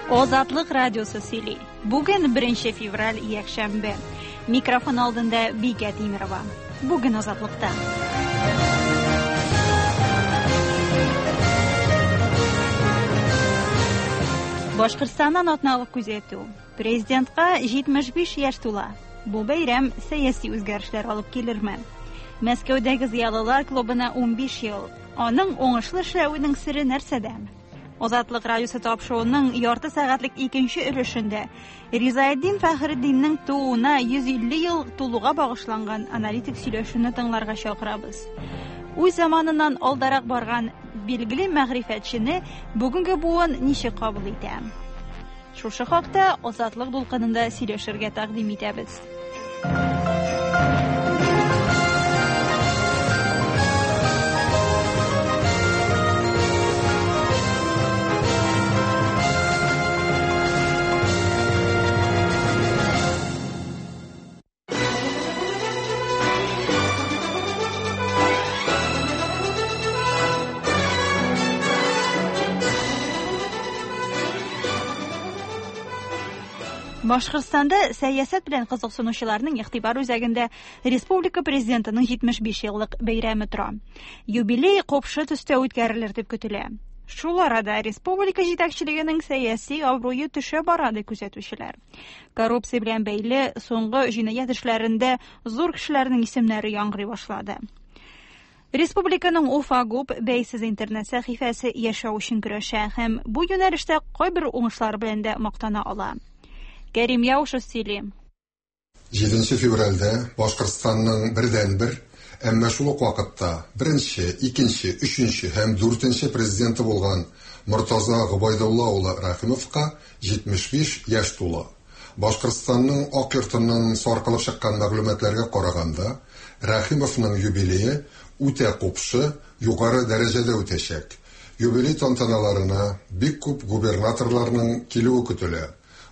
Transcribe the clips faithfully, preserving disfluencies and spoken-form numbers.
Азатлык радиосы сөйли. Бүген беренче февраль, якшәмбе. Микрофон алдында Бикә Тимирова. Бүген Азатлыкта. Башкортстаннан атналык күзәтү. Президентка җитмеш биш яшь тула. Бу бәйрәм сәяси үзгәрешләр алып килерме? Мәскәүдәге зыялылар клубына унбиш ел. Аның уңышлы эшләвенең сере нәрсәдә? Азатлык радиосы тапшыруының ярты сәгатьлек икенче өлешендә Ризаэддин Фәхретдиннең тууына йөз илле ел тулуга багышланган аналитик сөйләшүне тыңларга чакырабыз. Үз заманыннан алдарак барган билгеле мәгърифәтчене бүгенге буын ничек кабул итә? Шушы хакта Азатлык дулкынында сөйләшергә тәкъдим итәбез. Башкортстанда сәясәт белән кызыксынучыларның игътибар үзәгендә республика президентының җитмеш биш еллык бәйрәме тора. Юбилей купшы төстә үткәрелер дип көтелә. Шул арада республика җитәкчелегенең сәяси абруе төшә бара дип күзәтүчеләр. Коррупция белән бәйле соңгы җинаять эшләрендә зур кешеләрнең исемнәре яңгырый башлады. Республиканың Уфа ГУП бәйсез интернет сәхифәсе яшәү өчен көрәшә һәм бу юнәлештә кайбер уңышлар белән дә мактана ала. Кәрим Яушев сөйли. Җиденче февральдә Башкортстанның бердәнбер, әмма шул ук вакытта беренче, икенче, өченче һәм дүртенче президенты булган Мортаза Гобәйдулла улы Рәхимовка җитмеш биш яшь тула. Башкортстанның Ак йортыннан саркылып чыккан мәгълүматларга караганда, Рәхимовның юбилее үтә купшы, югары дәрәҗәдә үтәчәк. Юбилей тантаналарына бик күп губернаторларның килүе көтелә.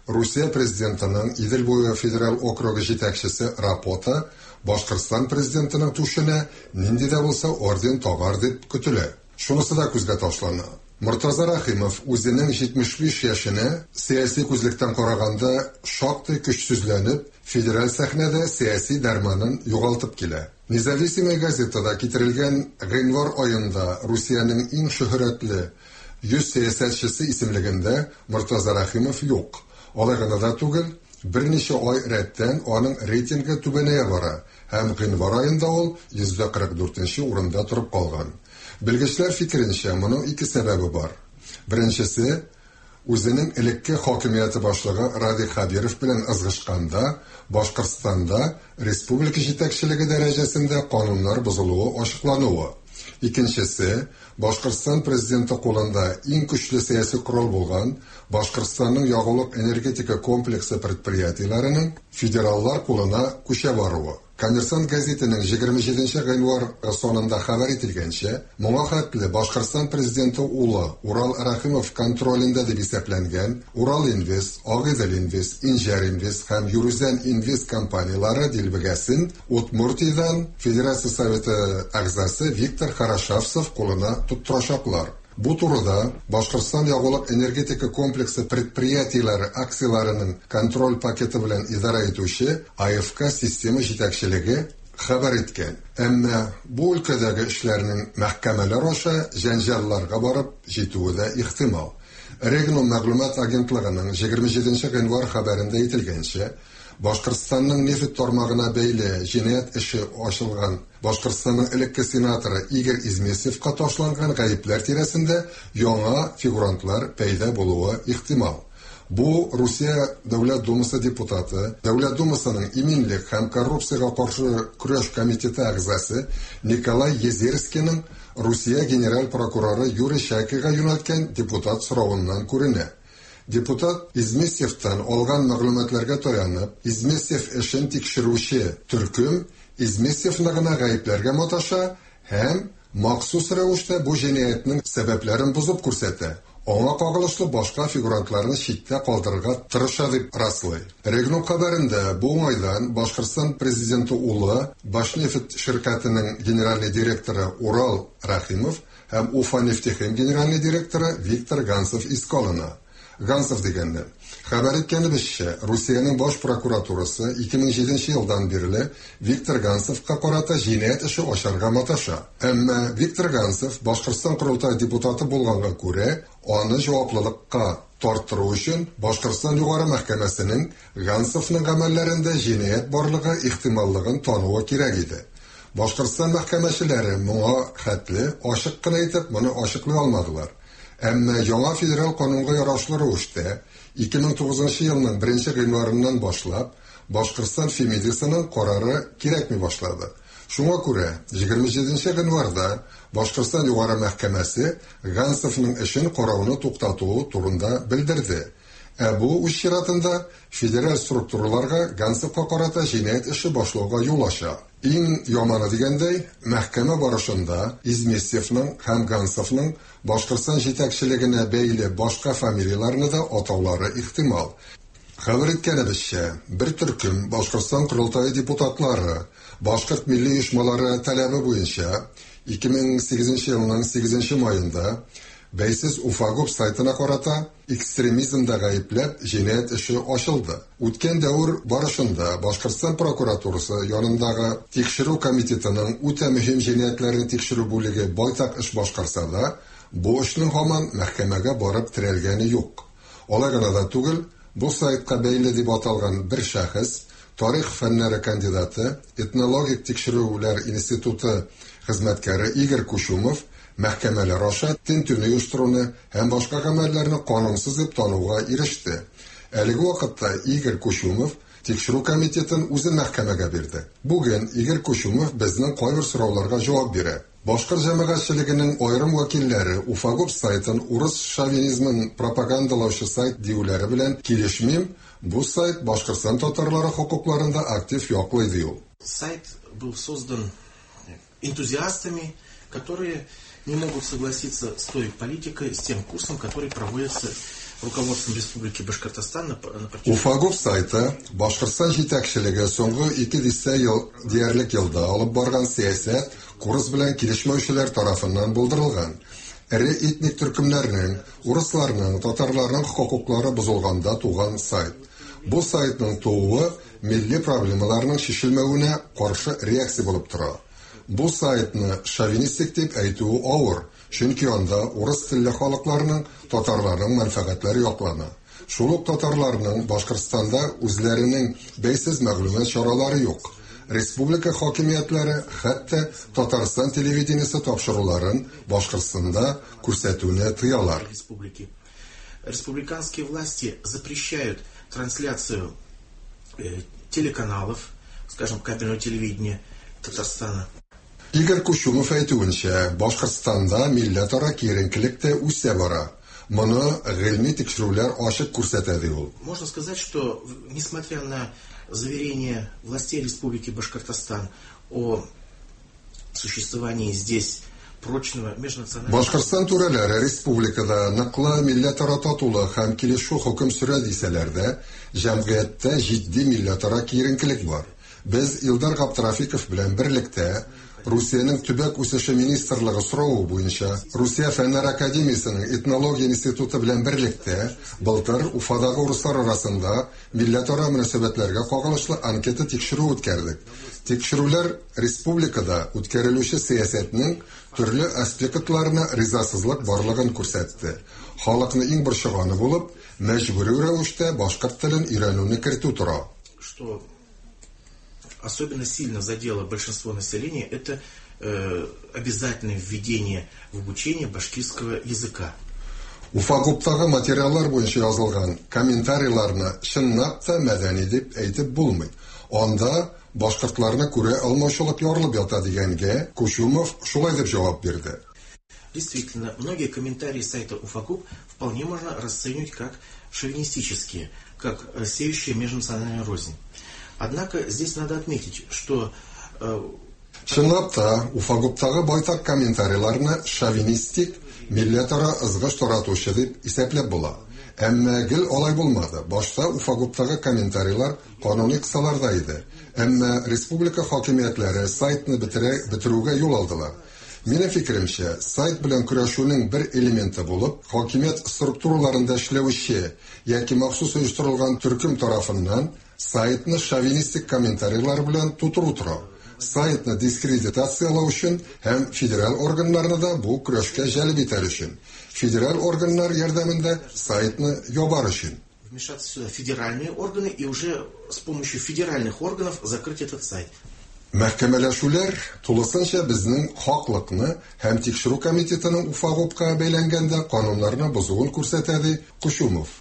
Русия президентының Идел буе федераль округы җитәкчесе Рапота Башкортстан президентының түшенә нинди дә булса орден тагар дип көтелә. Шунысы да күзгә ташлана. Мортаза Рәхимов үзенең җитмеш биш яшенә сәяси күзлектән караганда шактый көчсезләнеп, федераль сәхнәдә сәяси дәрманын югалтып килә. Независимая газетада китерелгән гыйнвар аенда Русиянең иң шөһрәтле йөз сәясәтчесе исемлегендә Мортаза Рәхимов юк. Алай гына да түгел, берничә ай рәттән аның рейтингы түбәнәя бара һәм гыйнвар аенда ул йөздә кырык дүртенче урында торып калган. Белгечләр фикеренчә, моның ике сәбәбе бар. Беренчесе, үзенең элекке хакимияте башлыгы Радий Хәбиров белән ызгышканда Башкортстанда республика җитәкчелеге дәрәҗәсендә кануннар бозылуы ачыклануы. Икенчесе, Башкортстан президенты кулында иң көчле сәяси корал булган Башкортстанның ягулык энергетика комплексы предприятиеләренең федераллар кулына күчә баруы. Коммерсант газетының егерме җиденче гыйнвар санында хәбәр ителгәнчә, моңа хәтле Башкортстан президенты улы Урал Рәхимов контролендә дип исәпләнгән Урал Инвест, Агыйдел Инвест, Инҗәр Инвест һәм Юрүзән Инвест компанияләре дилбегәсен Удмуртиядән Федерация Советы әгъзасы Виктор Хорошавцев кулына тоттырачаклар. Бу турыда Башкортстан ягулык энергетика комплексы предприятиеләре акцияләренең контроль пакеты белән идарә итүче А Ф К система җитәкчелеге хәбәр иткән. Әмма бу өлкәдәге эшләрнең мәхкәмәләр аша җәнҗалларга барып җитүе дә ихтимал. Регнум мәгълүмат агентлыгының егерме җиденче гыйнвар хәбәрендә әйтелгәнчә, Башкортстанның нефть тармагына бәйле җинаять эше ачылган Башкортстанның элекке сенаторы Игорь Измесевка ташланган гаепләр тирәсендә яңа фигурантлар пәйда булуы ихтимал. Бу Русия Дәүләт Думасы депутаты, Дәүләт Думасының иминлек һәм коррупциягә каршы көрәш комитеты әгъзасы Николай Езерскийның Русия генераль прокуроры Юрий Чайкага юнәлткән депутат соравыннан күренә. Депутат Измесевтан алган мәгълүматларга таянып, Измесев эшен тикшерүче төркем Измесевны гына гаепләргә маташа һәм махсус рәвештә бу җинаятьнең сәбәпләрен бозып күрсәтә. Аңа кагылышлы башка фигурантларны читтә калдырырга тырыша дип раслый. Регнум хәбәрендә бу уңайдан Башкортстан президенты улы Башнефть ширкәтенең генеральный директоры Урал Рәхимов һәм Уфа нефтехим генеральный директоры Виктор Гансов искә алына. Гансов дигәннән. Хәбәр иткәнебезчә, Русиянең баш прокуратурасы ике мең җиденче елдан бирле Виктор Гансовка карата җинаять эше ачарга маташа. Әмма Виктор Гансов Башкортстан Корылтай депутаты булганга күрә, аны җаваплылыкка тарттыру өчен Башкортстан Югары мәхкәмәсенең Гансовның гамәлләрендә җинаять барлыгы ихтималлыгын тануы кирәк иде. Башкортстан мәхкәмәчеләре моңа хәтле ачык кына итеп моны ачыклый алмадылар. Әмма яңа федераль канунга ярашлы рәвештә ике мең тугызынчы елның беренче гыйнварыннан башлап Башкортстан Фемидасының карары кирәкми башлады. Шуңа күрә егерме җиденче гыйнварда Башкортстан Югары мәхкәмәсе Гансовның эшен карауны туктатуы турында белдерде. Ә бу үз чиратында федераль структураларга Гансовка карата җинаять эше башлауга юл ача. Иң яманы дигәндәй, мәхкәмә барышында Изместьевның һәм Гансовның Башкортстан җитәкчелегенә бәйле башка фамилияләрне дә атаулары ихтимал. Хәбәр иткәнебезчә, бер төркем Башкортстан Корылтае депутатлары башкорт милли оешмалары таләбе буенча ике мең сигезенче елның сигезенче маенда бәйсез Уфагуб сайтына карата экстремизмда гаепләп җинаять эше ачылды. Үткән дәвер барышында Башкортстан прокуратурасы янындагы тикшерү комитетының үтә мөһим җинаятьләрне тикшерү бүлеге байтак эш башкарса да, бу эшнең һаман мәхкәмәгә барып терәлгәне юк. Алай гына да түгел, бу сайтка бәйле дип аталган бер шәхес, тарих фәннәре кандидаты, этнологик тикшерүләр институты хезмәткәре Игорь Кучумов мәхкәмәләр аша тентүне оештыруны һәм башка гамәлләрне канунсыз дип тануга иреште. Әлеге вакытта Игорь Кучумов тикшерү комитетын үзе мәхкәмәгә бирде. Бүген Игорь Кучумов безнең кайбер сорауларга җавап бирә. Башкорт җәмәгатьчелегенең аерым вәкилләре Уфагуб сайтын урыс шовинизмын пропагандалаучы сайт диюләре белән килешмим, бу сайт Башкортстан татарлары хокукларын да актив яклый ди ул. Сайт был создан энтузиастами, которые не могут согласиться с той политикой, с тем курсом, который проводится руководством Республики Башкортостан на, на протяжении... Уфагуб сайты Башкортстан җитәкчелеге соңгы ике дистә ел диярлек елда алып барган сәясәт курс белән килешмәүчеләр тарафыннан булдырылган. Эре этник төркемнәрнең, урысларның, татарларның хокуклары бозылганда туган сайт. Бу сайтның тууы милли проблемаларның чишелмәвенә каршы реакция булып тора. Бу сайтны шовинистик дип әйтүе авыр, чөнки анда урыс телле халыкларның, татарларның мәнфәгатьләре яклана. Шул ук татарларның Башкортстанда үзләренең бәйсез мәгълүмат чаралары юк. Республика хакимиятләре хәтта Татарстан телевидениесе тапшыруларын Башкортстанда күрсәтүне тыялар. Республики. Республиканские власти запрещают трансляцию э, телеканалов, скажем, кабельного телевидения Татарстана. Игорь Кучумов әйтүенчә, Башкортстанда милләтара киеренкелек тә үсә бара. Моны гыйльми тикшерүләр ачык күрсәтә ди ул. Можно сказать, что несмотря на заверение властей Республики Башкортостан о существовании здесь прочного межнационального... Башкортстан түрәләре республикада ныклы милләтара татулык һәм килешү хөкем сөрә дисәләр дә, җәмгыятьтә җитди милләтара киеренкелек бар. Без Илдар Габдрафиков белән берлектә Русиянең төбәк үсеше министрлыгы соравы буенча Русия Фәннәр Академиясенең этнология институты белән берлектә былтыр Уфадагы урыслар арасында милләтара мөнәсәбәтләргә кагылышлы анкета тикшерү үткәрдек. Тикшерүләр республикада үткәрелүче сәясәтнең төрле аспектларына ризасызлык барлыгын күрсәтте. Халыкны иң борчыганы булып, мәҗбүри рәвештә башкорт телен өйрәнүне кертү тора. Что особенно сильно задело большинство населения, это э, обязательное введение в обучение башкирского языка. Уфагубтагы материаллар буенча язылган комментарийларны чынлап та мәдәни дип әйтеп булмый. Анда башкортларны күрә алмаучылык ярылып ята дигәнгә Кучумов шулай дип җавап бирде. Действительно, многие комментарии сайта Уфагуб вполне можно расценивать как шовинистические, как сеющие межнациональную рознь. Однако здесь надо отметить, что... Э, Чынлап та, Уфагубтагы байтак комментарийларны шовинистик, милләтара ызгыш таратучы дип исәпләп була. Әмма гел алай булмады. Башта Уфагубтагы комментарийлар кануни кысаларда иде. Әмма республика хакимиятләре сайтны бетерә, бетерүгә юл алдылар. Минем фикеремчә, сайт белән көрәшүнең бер элементы булып, хакимият структураларында эшләүче яки махсус оештырылган төркем тарафыннан сайтны шовинистик комментарийлар белән тутыру тора. Сайтны дискредитациялау өчен һәм федераль органнарны да бу көрәшкә җәлеп итәр өчен. Федераль органнар ярдәмендә сайтны ябар өчен. Вмешаться сюда федеральные органы и уже с помощью федеральных органов закрыть этот сайт. Мәхкәмәләшүләр тулысынча безнең хаклыкны һәм тикшерү комитетының Уфагупка бәйләнгәндә кануннарны бозуын күрсәтә, ди Кучумов.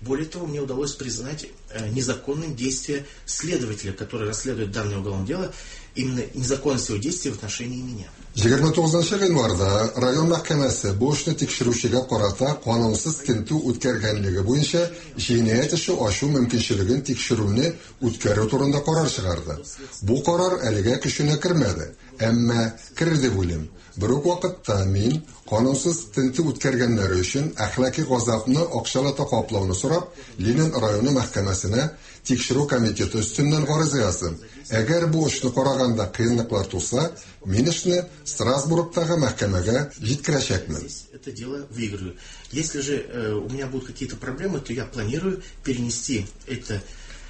Более того, мне удалось признать незаконным действие следователя, который расследует данное уголовное дело, именно незаконность его действий в отношении меня. егерме тугызынчы гыйнварда район мәхкәмәсе бу эшне тикшерүчегә карата канунсыз тентү үткәргәнлеге буенча җинаять эше ачу мөмкинчелеген тикшерүне үткәрү турында карар чыгарды. Бу карар әлегә көченә кермәде, әмма керер дип уйлыйм. Бер үк вакытта мин канунсыз тентү үткәргәннәре өчен әхлаки газапны акчалата каплауны сорап, Ленин районы мәхкәмәсенә тикшерү комитеты өстеннән гариза яздым. Әгәр бу эшне караганда кыенлыклар туса, мин эшне Страсбургтагы мәхкәмәгә җиткерәчәкмен. Это дело выиграю. Если же э, у меня будут какие-то проблемы, то я планирую перенести это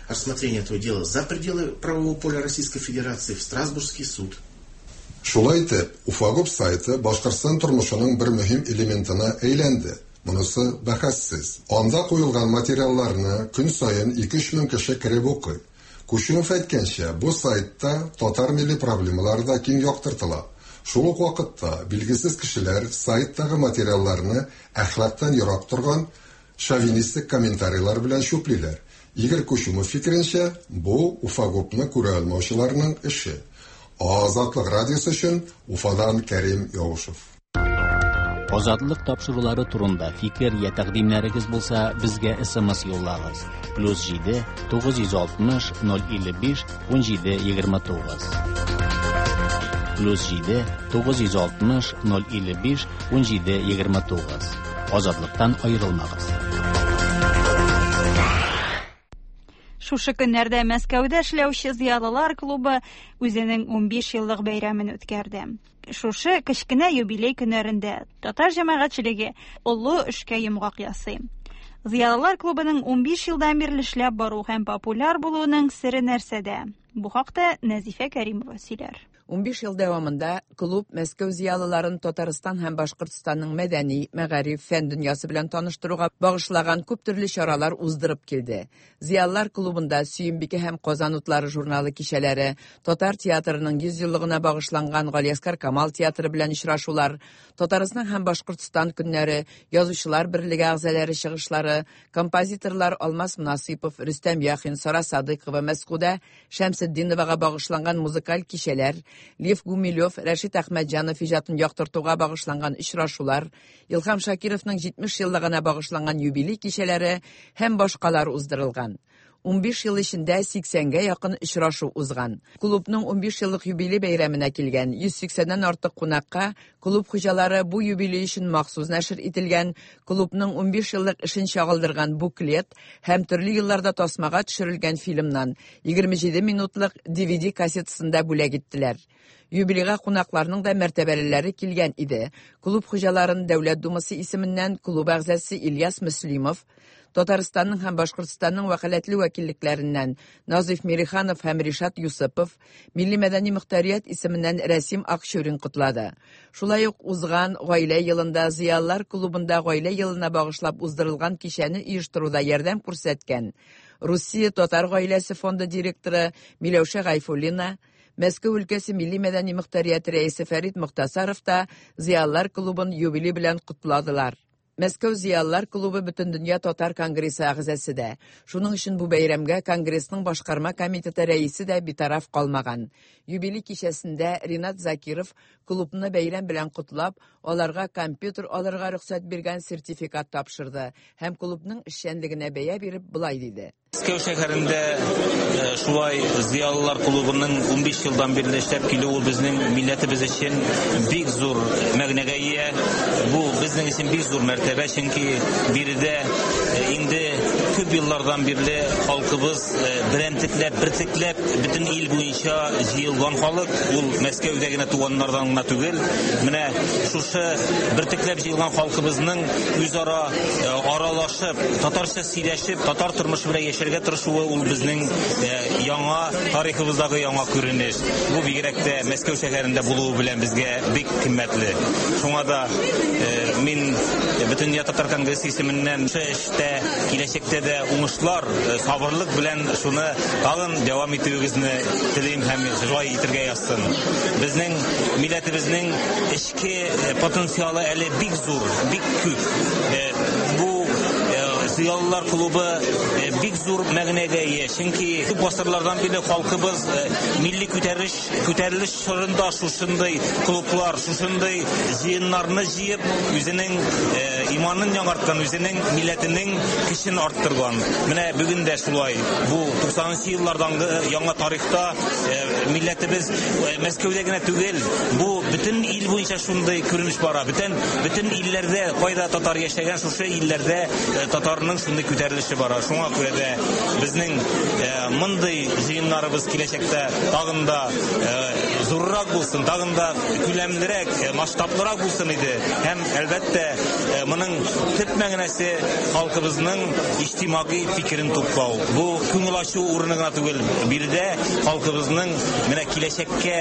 рассмотрение этого дела за пределы правового поля Российской Федерации в Страсбургский суд. Шулай итеп, Уфагуп сайты Башкортстан тормышының бер мөһим элементына әйләнде. Монысы бәхәссез. Анда куелган материалларны көн саен ике-өч мең кеше кереп укый. Кучумов әйткәнчә, бу сайтта татар милли проблемалары да киң яктыртыла. Шул ук вакытта билгесез кешеләр сайттагы материалларны әхлактан ерак торган шовинистик комментарийлар белән чүплиләр. Игорь Кучумов фикеренчә, бу Уфагупны күрә алмаучыларның эше. Азатлык радиосы өчен Уфадан Кәрим Яушев. Азатлык тапшырулары турында фикер я тәкъдимнәрегез булса, безгә С М С юллагыз. Плюс җиде тугыз йөз алтмыш ноль илле биш ун җиде егерме тугыз. Плюс җиде тугыз йөз алтмыш ноль илле биш ун җиде егерме тугыз. Азатлыктан аерылмагыз. Шушы көннәрдә Мәскәүдә эшләүче зыялылар клубы үзенең унбиш еллык бәйрәмен үткәрде. Шушы кечкенә юбилей көннәрендә татар җәмәгатьчелеге олы эшкә йомгак ясый. Зыялылар клубының унбиш елдан бирле эшләп бару һәм популяр булуының сере нәрсәдә? Бу хакта Нәзифә Кәримова сөйләр. Унбиш ел дәвамында клуб Мәскәү зыялыларын Татарстан һәм Башкортстанның мәдәни, мәгариф, фән дөньясы белән таныштыруга багышлаган күп төрле чаралар уздырып килде. Зыялылар клубында Сөембикә һәм Казан утлары журналы кичәләре, Татар театрының йөз еллыгына багышланган Галиәсгар Камал театры белән очрашулар, Татарстан һәм Башкортстан көннәре, Язучылар берлеге әгъзалары чыгышлары, композиторлар Алмаз Мунасыйпов, Рөстәм Яхин, Сара Садыйкова, Мәскүдә Шәмсетдиновага багышланган музыкаль кичәләр, Лев Гумилев, Рәшит Әхмәтҗанов иҗатын яктыртуга багышланган очрашулар, Илһам Шакировның җитмеш еллыгына багышланган юбилей кичәләре һәм башкалар уздырылган. Унбиш ел эчендә сиксәнгә якын очрашу узган. Клубның унбиш еллык юбилей бәйрәменә килгән йөз сиксәннән артык кунакка клуб хуҗалары бу юбилей өчен махсус нәшер ителгән клубның унбиш еллык эшен чагылдырган буклет һәм төрле елларда тасмага төшерелгән фильмнан егерме җиде минутлык Д В Д кассетасында бүләк иттеләр. Юбилейга кунакларның да мәртәбәлеләре килгән иде. Клуб хуҗаларын Дәүләт Думасы исеменнән клуб әгъзасы Ильяс Мөслимов, Татарстанның һәм Башкортстанның вәкаләтле вәкиллекләреннән Назиф Мириханов һәм Ришат Юсупов, Милли мәдәни мөхтәрият исеменнән Рәсим Акчурин котлады. Шулай ук узган гаилә елында Зыялылар клубында гаилә елына багышлап уздырылган кичәне оештыруда ярдәм күрсәткән Русия Татар гаиләсе фонды директоры Миләүшә Гайфуллина, Мәскәү өлкәсе Милли мәдәни мөхтәрияте рәисе Фәрит Мөхтәсаров та Зыялылар клубын юбилей белән котладылар. Мәскәү Зыялылар клубы Бөтендөнья Татар конгрессы әгъзасы да. Шуның өчен бу бәйрәмгә конгрессның башкарма комитеты рәисе дә битараф калмаган. Юбилей кичәсендә Ринат Закиров клубны бәйрәм белән котлап, аларга компьютер алырга рөхсәт биргән сертификат тапшырды һәм клубның эшчәнлегенә бәя биреп болай диде. Мәскәү шәһәрендә шулай зыялылар клубының унбиш елдан бирле эшләп килүе безнең милләтебез өчен бик зур мәгънәгә ия. Бу безнең өчен бик зур мәртәбә, чөнки биредә инде күп еллардан бирле халкыбыз берәмтекләп, бертекләп бөтен ил буенча җыелган халык, ул Мәскәүдә генә туганнардан гына түгел. Менә шушы бертекләп җыелган халкыбызның үзара аралашып, татарча сөйләшеп, татар тормышы белән яшәргә тырышуы ул безнең яңа тарихыбыздагы яңа күренеш. Бу бигрәк тә Мәскәү шәһәрендә булуы белән безгә бик кыйммәтле. Шуңа да мин Бөтендөнья татар конгрессы исеменнән шушы эштә киләчәктә дә уңышлар, сабырлык белән шуны тагын дәвам итүегезне телим һәм шулай итәргә язсын. Безнең милләтебезнең эчке потенциалы әле бик зур, бик күп. Бу Зыялылар клубы бик зур мәгънәгә ия, чөнки күп гасырлардан бирле халкыбыз милли күтәрелеш, күтәрелеш чорында шушындый клублар, шушындый җыеннарны җыеп, үзенең иманын яңарткан, үзенең милләтенең көчен арттырган. Менә бүген дә шулай. Бу туксанынчы еллардагы яңа тарихта милләтебез Мәскәүдә генә түгел, бу бөтен ил буенча шундый күренеш бара. Бөтен, бөтен илләрдә, кайда татар яшәгән, шушы илләрдә татарның шундый күтәрелеше бара. Шуңа күрә дә безнең мондый җыеннарыбыз киләчәктә тагын да зуррак булсын, тагын да күләмлерәк, масштаблырак булсын иде. Һәм әлбәттә моның төп мәгънәсе халкыбызның иҗтимагый фикерен туплау. Бу күңел ачу урыны гына түгел, биредә халкыбызның менә киләчәккә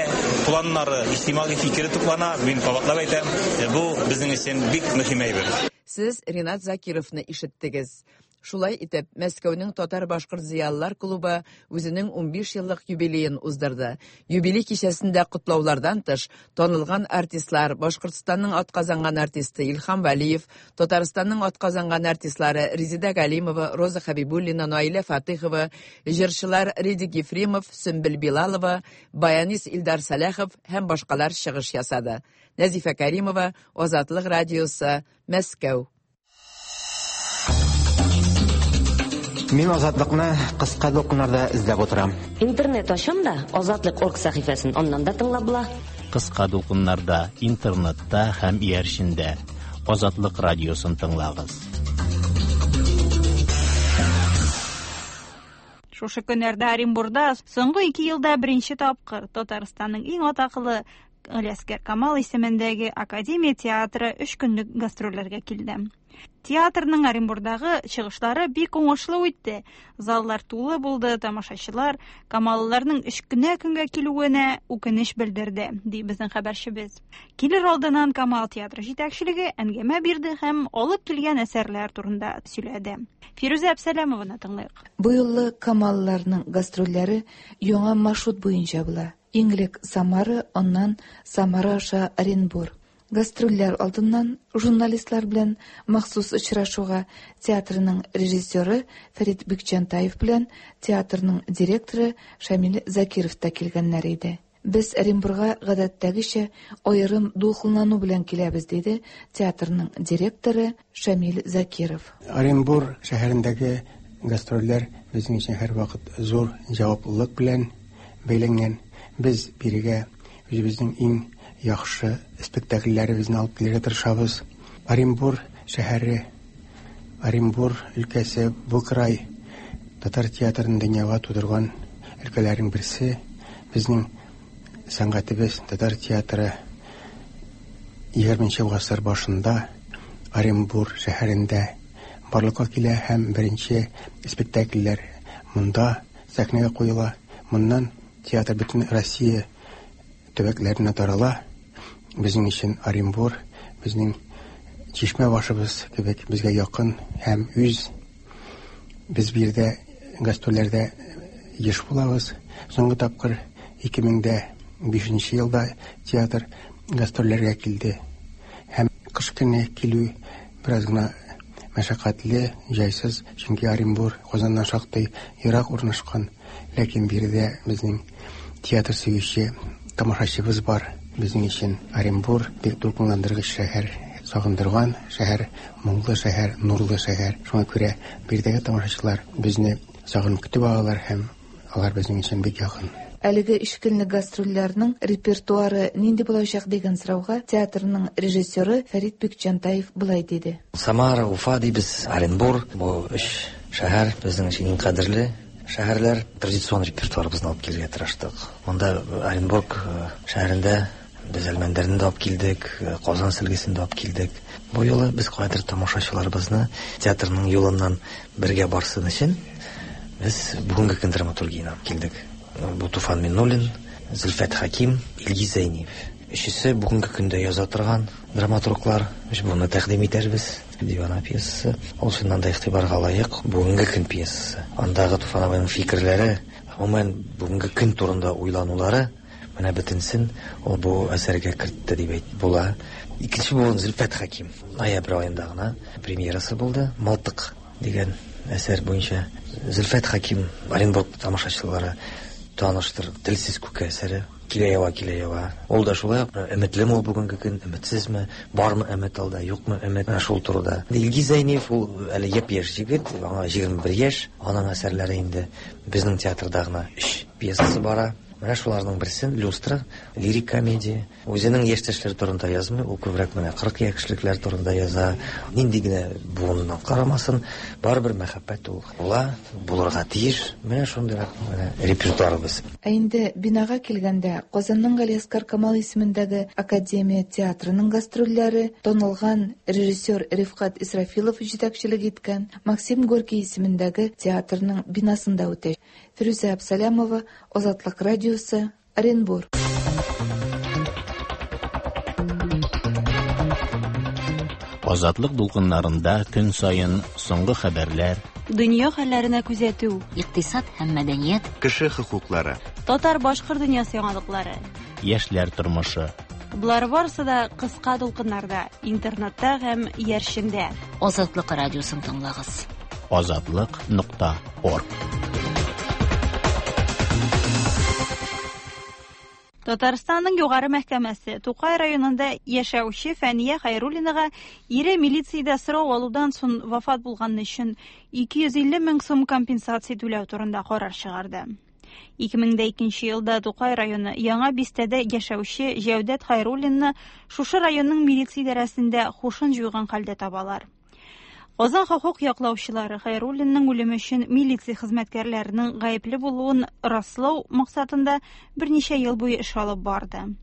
планнары, иҗтимагый фикере туплана. Мин кабатлап әйтәм, бу безнең өчен бик мөһим әйбер. Сез Ринат Закировны ишеттегез. Шулай итеп, Мәскәүнең татар-башкорт зыялылар клубы үзенең унбиш еллык юбилеен уздырды. Юбилей кичәсендә котлаулардан тыш, танылган артистлар, Башкортстанның атказанган артисты Илһам Вәлиев, Татарстанның атказанган артистлары Резеда Галимова, Роза Хабибуллина, Наилә Фатыхова, җырчылар Редик Ефремов, Сөмбел Билалова, баянист Илдар Сәләхов һәм башкалар чыгыш ясады. Нәзифә Каримова, Азатлык радиосы, Мәскәү. Мин Азатлыкны кыска дулкыннарда эзләп утырам. Интернет ачам да Азатлык орг сәхифәсен аннан да тыңлап була. Кыска дулкыннарда, интернетта һәм иярчендә Азатлык радиосын тыңлагыз. Шушы көннәрдә Оренбурда соңгы ике елда беренче тапкыр Татарстанның иң атаклы Галиәсгар Камал исемендәге Академия театры өч көнлек гастрольләргә килде. Театрның Оренбурдагы чыгышлары бик уңышлы үтте. Заллар тулы булды, тамашачылар Камалларның өч кенә көнгә килүенә үкенеч белдерде, ди безнең хәбәрчебез. Килер алдыннан Камал театры җитәкчелеге әңгәмә бирде һәм алып килгән әсәрләр турында сөйләде. Фирүзә Әбсәләмованы тыңлыйк. Бу юлы Камалларның гастрольләре яңа маршрут буенча була. Иң элек Самара, аннан Самара аша Оренбур. Гастрольләр алдыннан журналистлар белән махсус очрашуга театрның режиссеры Фәрит Бикчәнтаев белән театрның директоры Шамил Закиров та килгәннәр иде. Без Оренбурга гадәттәгечә аерым дулкынлану белән киләбез, диде театрның директоры Шамил Закиров. Оренбур шәһәрендәге гастрольләр безнең өчен һәрвакыт зур җаваплылык белән бәйләнгән. Без бирегә үзебезнең иң яхшы спектакльләребезне алып килергә тырышабыз. Оренбур шәһәре, Оренбур өлкәсе, бу край татар театрын дөньяга тудырган өлкәләрнең берсе. Безнең сәнгатебез татар театры егерменче гасыр башында Оренбур шәһәрендә барлыкка килә һәм беренче спектакльләр монда сәхнәгә куела. Моннан театр бөтен Россия төбәкләренә тарала. Безнең өчен Оренбур безнең чишмә башыбыз кебек безгә якын һәм үз. Без биредә гастрольләрдә еш булабыз. Соңгы тапкыр ике мең дә бишенче елда театр гастрольләргә килде. Һәм кыш көне килү бераз гына мәшәкатьле, җайсыз, чөнки Оренбур Казаннан шактый ерак урнашкан. Ләкин биредә безнең театр сөюче тамашачыбыз бар. Безнең өчен Оренбур бик дулкынландыргыч шәһәр, сагындырган шәһәр, моңлы шәһәр, нурлы шәһәр. Шуңа күрә биредәге тамашачылар безне сагынып көтеп алалар һәм алар безнең өчен бик якын. Әлеге өч көнлек гастрольләрнең репертуары нинди булачак дигән сорауга театрның режиссеры Фәрит Бикчәнтаев болай диде. Самара, Уфа дибез, Оренбур, бу өч шәһәр безнең өчен иң кадерле шәһәрләр. Традицион репертуарыбызны алып килергә тырыштык. Монда Оренбург шәһәрендә без Әлмәндәрне дә алып килдек, Казан сөлгесен дә алып килдек. Бу юлы без кайдыр тамашачыларыбызны театрның юлыннан бергә барсын өчен без бүгенге көн драматургияне алып килдек. Бу Туфан Миннуллин, Зөлфәт Хәким, Илгиз Зәйниев. Өчесе бүгенге көндә яза торган драматурглар. Без буны тәкъдим итәрбез. Дивана пьесасы. Ул чыннан да игътибарга лаек бүгенге көн пьесасы. Андагы Туфан абыйның фикерләре, гомумән бүгенге көн турында уйланулары менә бөтенсен ул бу әсәргә кертте дип әйтеп була. Икенче буын Зөлфәт Хәким. Ноябрь аенда гына премьерасы булды. Мылтык дигән әсәр буенча Зөлфәт Хәким Оренбург тамашачылары таныштыр. Телсез күке әсәре. Килә ява, килә ява. Ул да шулай ук өметлеме ул бүгенге көн, өметсезме, бармы өмет алда, юкмы өмет, менә шул турыда. Илгиз Зәйниев ул әле япь-яшь егет, аңа егерме бер яшь. Аның әсәрләре инде безнең театрда гына өч пьесасы бара. Менә шуларның берсен Люстра, лирик комедия. Үзенең яшьтәшләре турында язмый, ул күбрәк менә кырык яшьлекләр турында яза. Нинди генә буыннан карамасын, барыбер мәхәббәт ул була, булырга тиеш. Менә шундыйрак менә репертуарыбыз. Ә инде бинага килгәндә, Казанның Галиәсгар Камал исемендәге Академия театрының гастрольләре танылган режиссер Рифкат Исрафилов җитәкчелек иткән Максим Горький исемендәге театрның бинасында үтә. Фирүзә Абсалямова, Азатлык радиосы, Оренбур. Азатлык дулкыннарында көн саен соңгы хәбәрләр, дөнья хәлләренә күзәтү, икътисад һәм мәдәният, кеше хокуклары, татар-башкорт дөньясы яңалыклары, яшьләр тормышы. Болар барысы да кыска дулкыннарда, интернетта һәм иярчендә. Азатлык радиосын тыңлагыз. Азатлык нокта орг. Татарстанның югары мәхкәмәсе Тукай районында яшәүче Фәния Хәйруллинага ире милициядә сорау алудан соң вафат булганы өчен ике йөз илле мең сум компенсация түләү турында карар чыгарды. ике мең дә икенче елда Тукай районы Яңа бистәдә яшәүче Җәүдәт Хәйруллинны шушы районның милиция идарәсендә хушын җуйган хәлдә табалар. Казан хокук яклаучылары Хәйруллинның үлеме өчен милиция хезмәткәрләренең гаепле булуын раслау максатында берничә ел буе эш алып барды.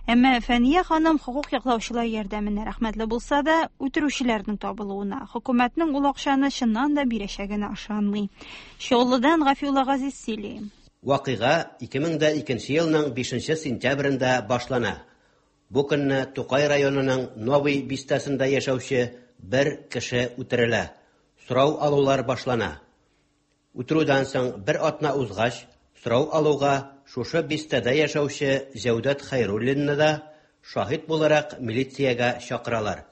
Әмма Фәния ханым хокук яклаучылар ярдәменә рәхмәтле булса да, үтерүчеләрнең табылуына, хөкүмәтнең ул акчаны чыннан да бирәчәгенә ышанмый. Чаллыдан Гафиулла Газиз сөйли. Вакыйга ике мең дә икенче елның бишенче сентябрендә башлана. Бу көнне Тукай районының Новый бистәсендә яшәүче бер кеше үтерелә. Сорау алулар башлана. Үтерүдән соң бер атна узгач, сорау алуга шушы бистәдә яшәүче Җәүдәт Хәйруллинны да шаһит буларак милициягә чакыралар.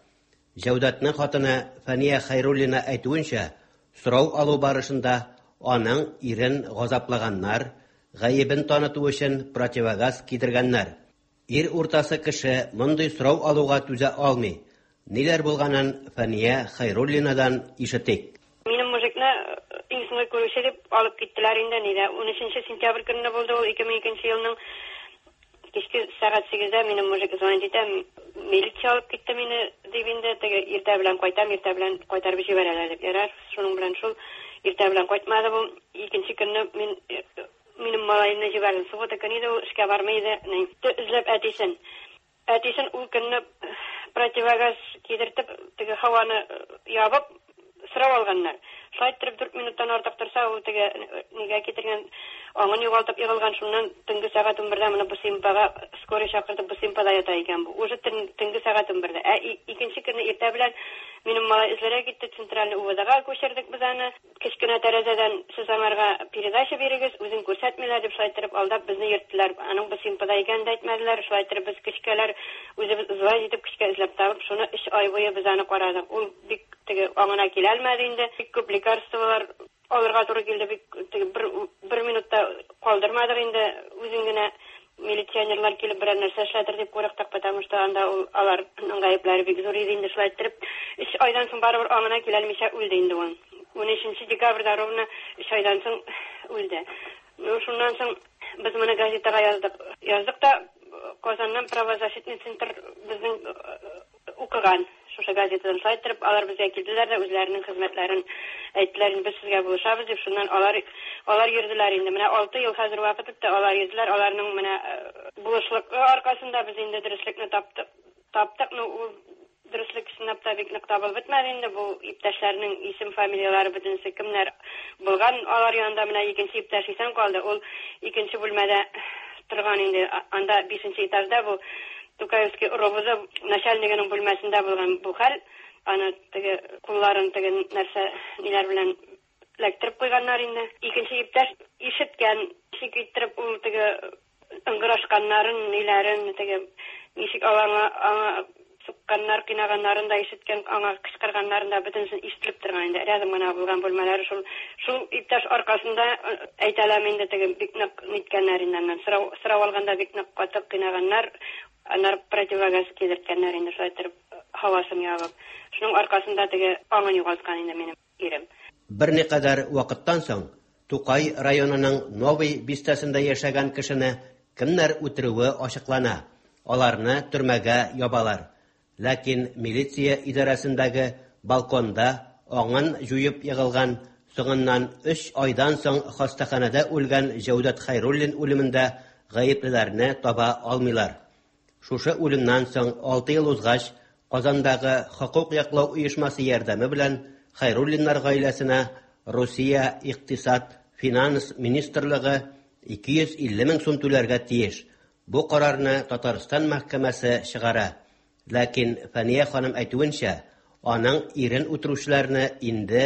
Җәүдәтнең хатыны Фәния Хәйруллина әйтүенчә, сорау алу барышында аның ирен газаплаганнар, гаебен таныту өчен противогаз кидергәннәр. Ир уртасы кеше мондый сорау алуга түзә алмый. Ниләр булганын Фәния Хәйруллинадан ишетик. Минем мужикны иң соңгы күрүче дип алып киттеләр инде нидә. Унөченче сентябрь көнне булды ул, ике мең икенче елның кичке сәгать сигездә минем мужик звонит итә, милиция алып китте мине дип инде, теге иртә белән кайтам, иртә белән кайтарып җибәрәләр дип. Ярар, шуның белән шул иртә белән кайтмады бу. Икенче көнне мин минем малайымны җибәрдем. Суббота көне иде, ул эшкә бармый иде. Эзләп әтисен. Әтисен ул көнне противогаз кидертеп, теге һаваны ябып, сорау алганнар. Шулай иттереп дүрт минуттан артык торса, ул теге нигә китергән, аңын югалтып егылган. Шуннан төнге сәгать унбердә моны Бусимпага скорый чакыртып, Бусимпада ята икән бу. Уже төнге сәгать унбердә. Ә икенче көнне иртә белән минем малай эзләргә китте, центральный УВДга күчердек без аны. Кечкенә тәрәзәдән сез аңарга передача бирегез, үзен күрсәтмиләр дип шулай иттереп алдап безне йөрттеләр. Аның Бусимпада икәнен дә әйтмәделәр. Шулай иттереп без кечкәләр үзебез звонить итеп кечкә эзләп табып, шуны өч ай буе без аны карадык. Ул бик теге аңына килә алмады инде. Бик күп лекарстволар алырга туры килде, бик теге бер бер минутта калдырмадык инде. Үзен генә милиционерлар килеп берәр нәрсә эшләтер дип курыктык, потому что анда ул аларның гаепләре бик зур иде инде. Шулай иттереп өч айдан соң барыбер аңына килә алмыйча үлде инде ул. Унөченче декабрьдә ровно өч айдан соң үлде. Ну, шуннан соң без моны газетага яздык. Яздык та Казаннан правозащитный центр безнең укыган шушы газетадан шулай иттереп алар безгә килделәр дә үзләренең хезмәтләрен әйттеләр, без сезгә булышабыз дип. Шуннан алар алар йөрделәр инде. Менә алты ел хәзер вакыт үтте, алар йөрделәр. Аларның менә булышлыгы аркасында без инде дөреслекне таптык. Таптык, ну, ул дөреслек чынлап та бик нык табылып бетмәде инде. Бу иптәшләрнең исем фамилияләре бөтенесе кемнәр булган алар янында. Менә икенче иптәш исән калды. Ул икенче бүлмәдә торган инде. Анда бишенче этажда бу Тукаевский РОВД начальнигының бүлмәсендә булган бу хәл. Аны теге кулларын теге нәрсә ниләр белән эләктереп куйганнар инде. Икенче иптәш ишеткән, ничек иттереп ул теге ыңгырашканнарын, ниләрен, теге ничек алаңа аңа сукканнар, кыйнаганнарын да ишеткән, аңа кычкырганнарын да бөтенесен ишетелеп торган инде. Рядом гына булган бүлмәләре шул шул иптәш аркасында әйтәләм инде, теге бик нык ниткәннәр инде. Аннан сорау сорау алганда бик нык каты кыйнаганнар, аннары противогаз кидерткәннәр инде, шулай иттереп һавасын ябып. Шуның аркасында теге аңын югалткан инде минем ирем. Берникадәр вакыттан соң Тукай районының Новый бистәсендә яшәгән кешене кемнәр үтерүе ачыклана. Аларны төрмәгә ябалар. Ләкин милиция идарәсендәге балконда аңын җуеп егылган, соңыннан өч айдан соң хастаханәдә үлгән Җәүдәт Хәйруллин үлемендә гаеплеләрне таба алмыйлар. Шушы үлемнән соң алты ел узгач, Казандагы хокук яклау оешмасы ярдәме белән Хәйруллиннар гаиләсенә Русия Икътисад Финанс Министрлыгы ике йөз илле мең сум түләргә тиеш. Бу карарны Татарстан мәхкәмәсе чыгара. Ләкин Фәния ханым әйтүенчә, аның ирен үтерүчеләрне инде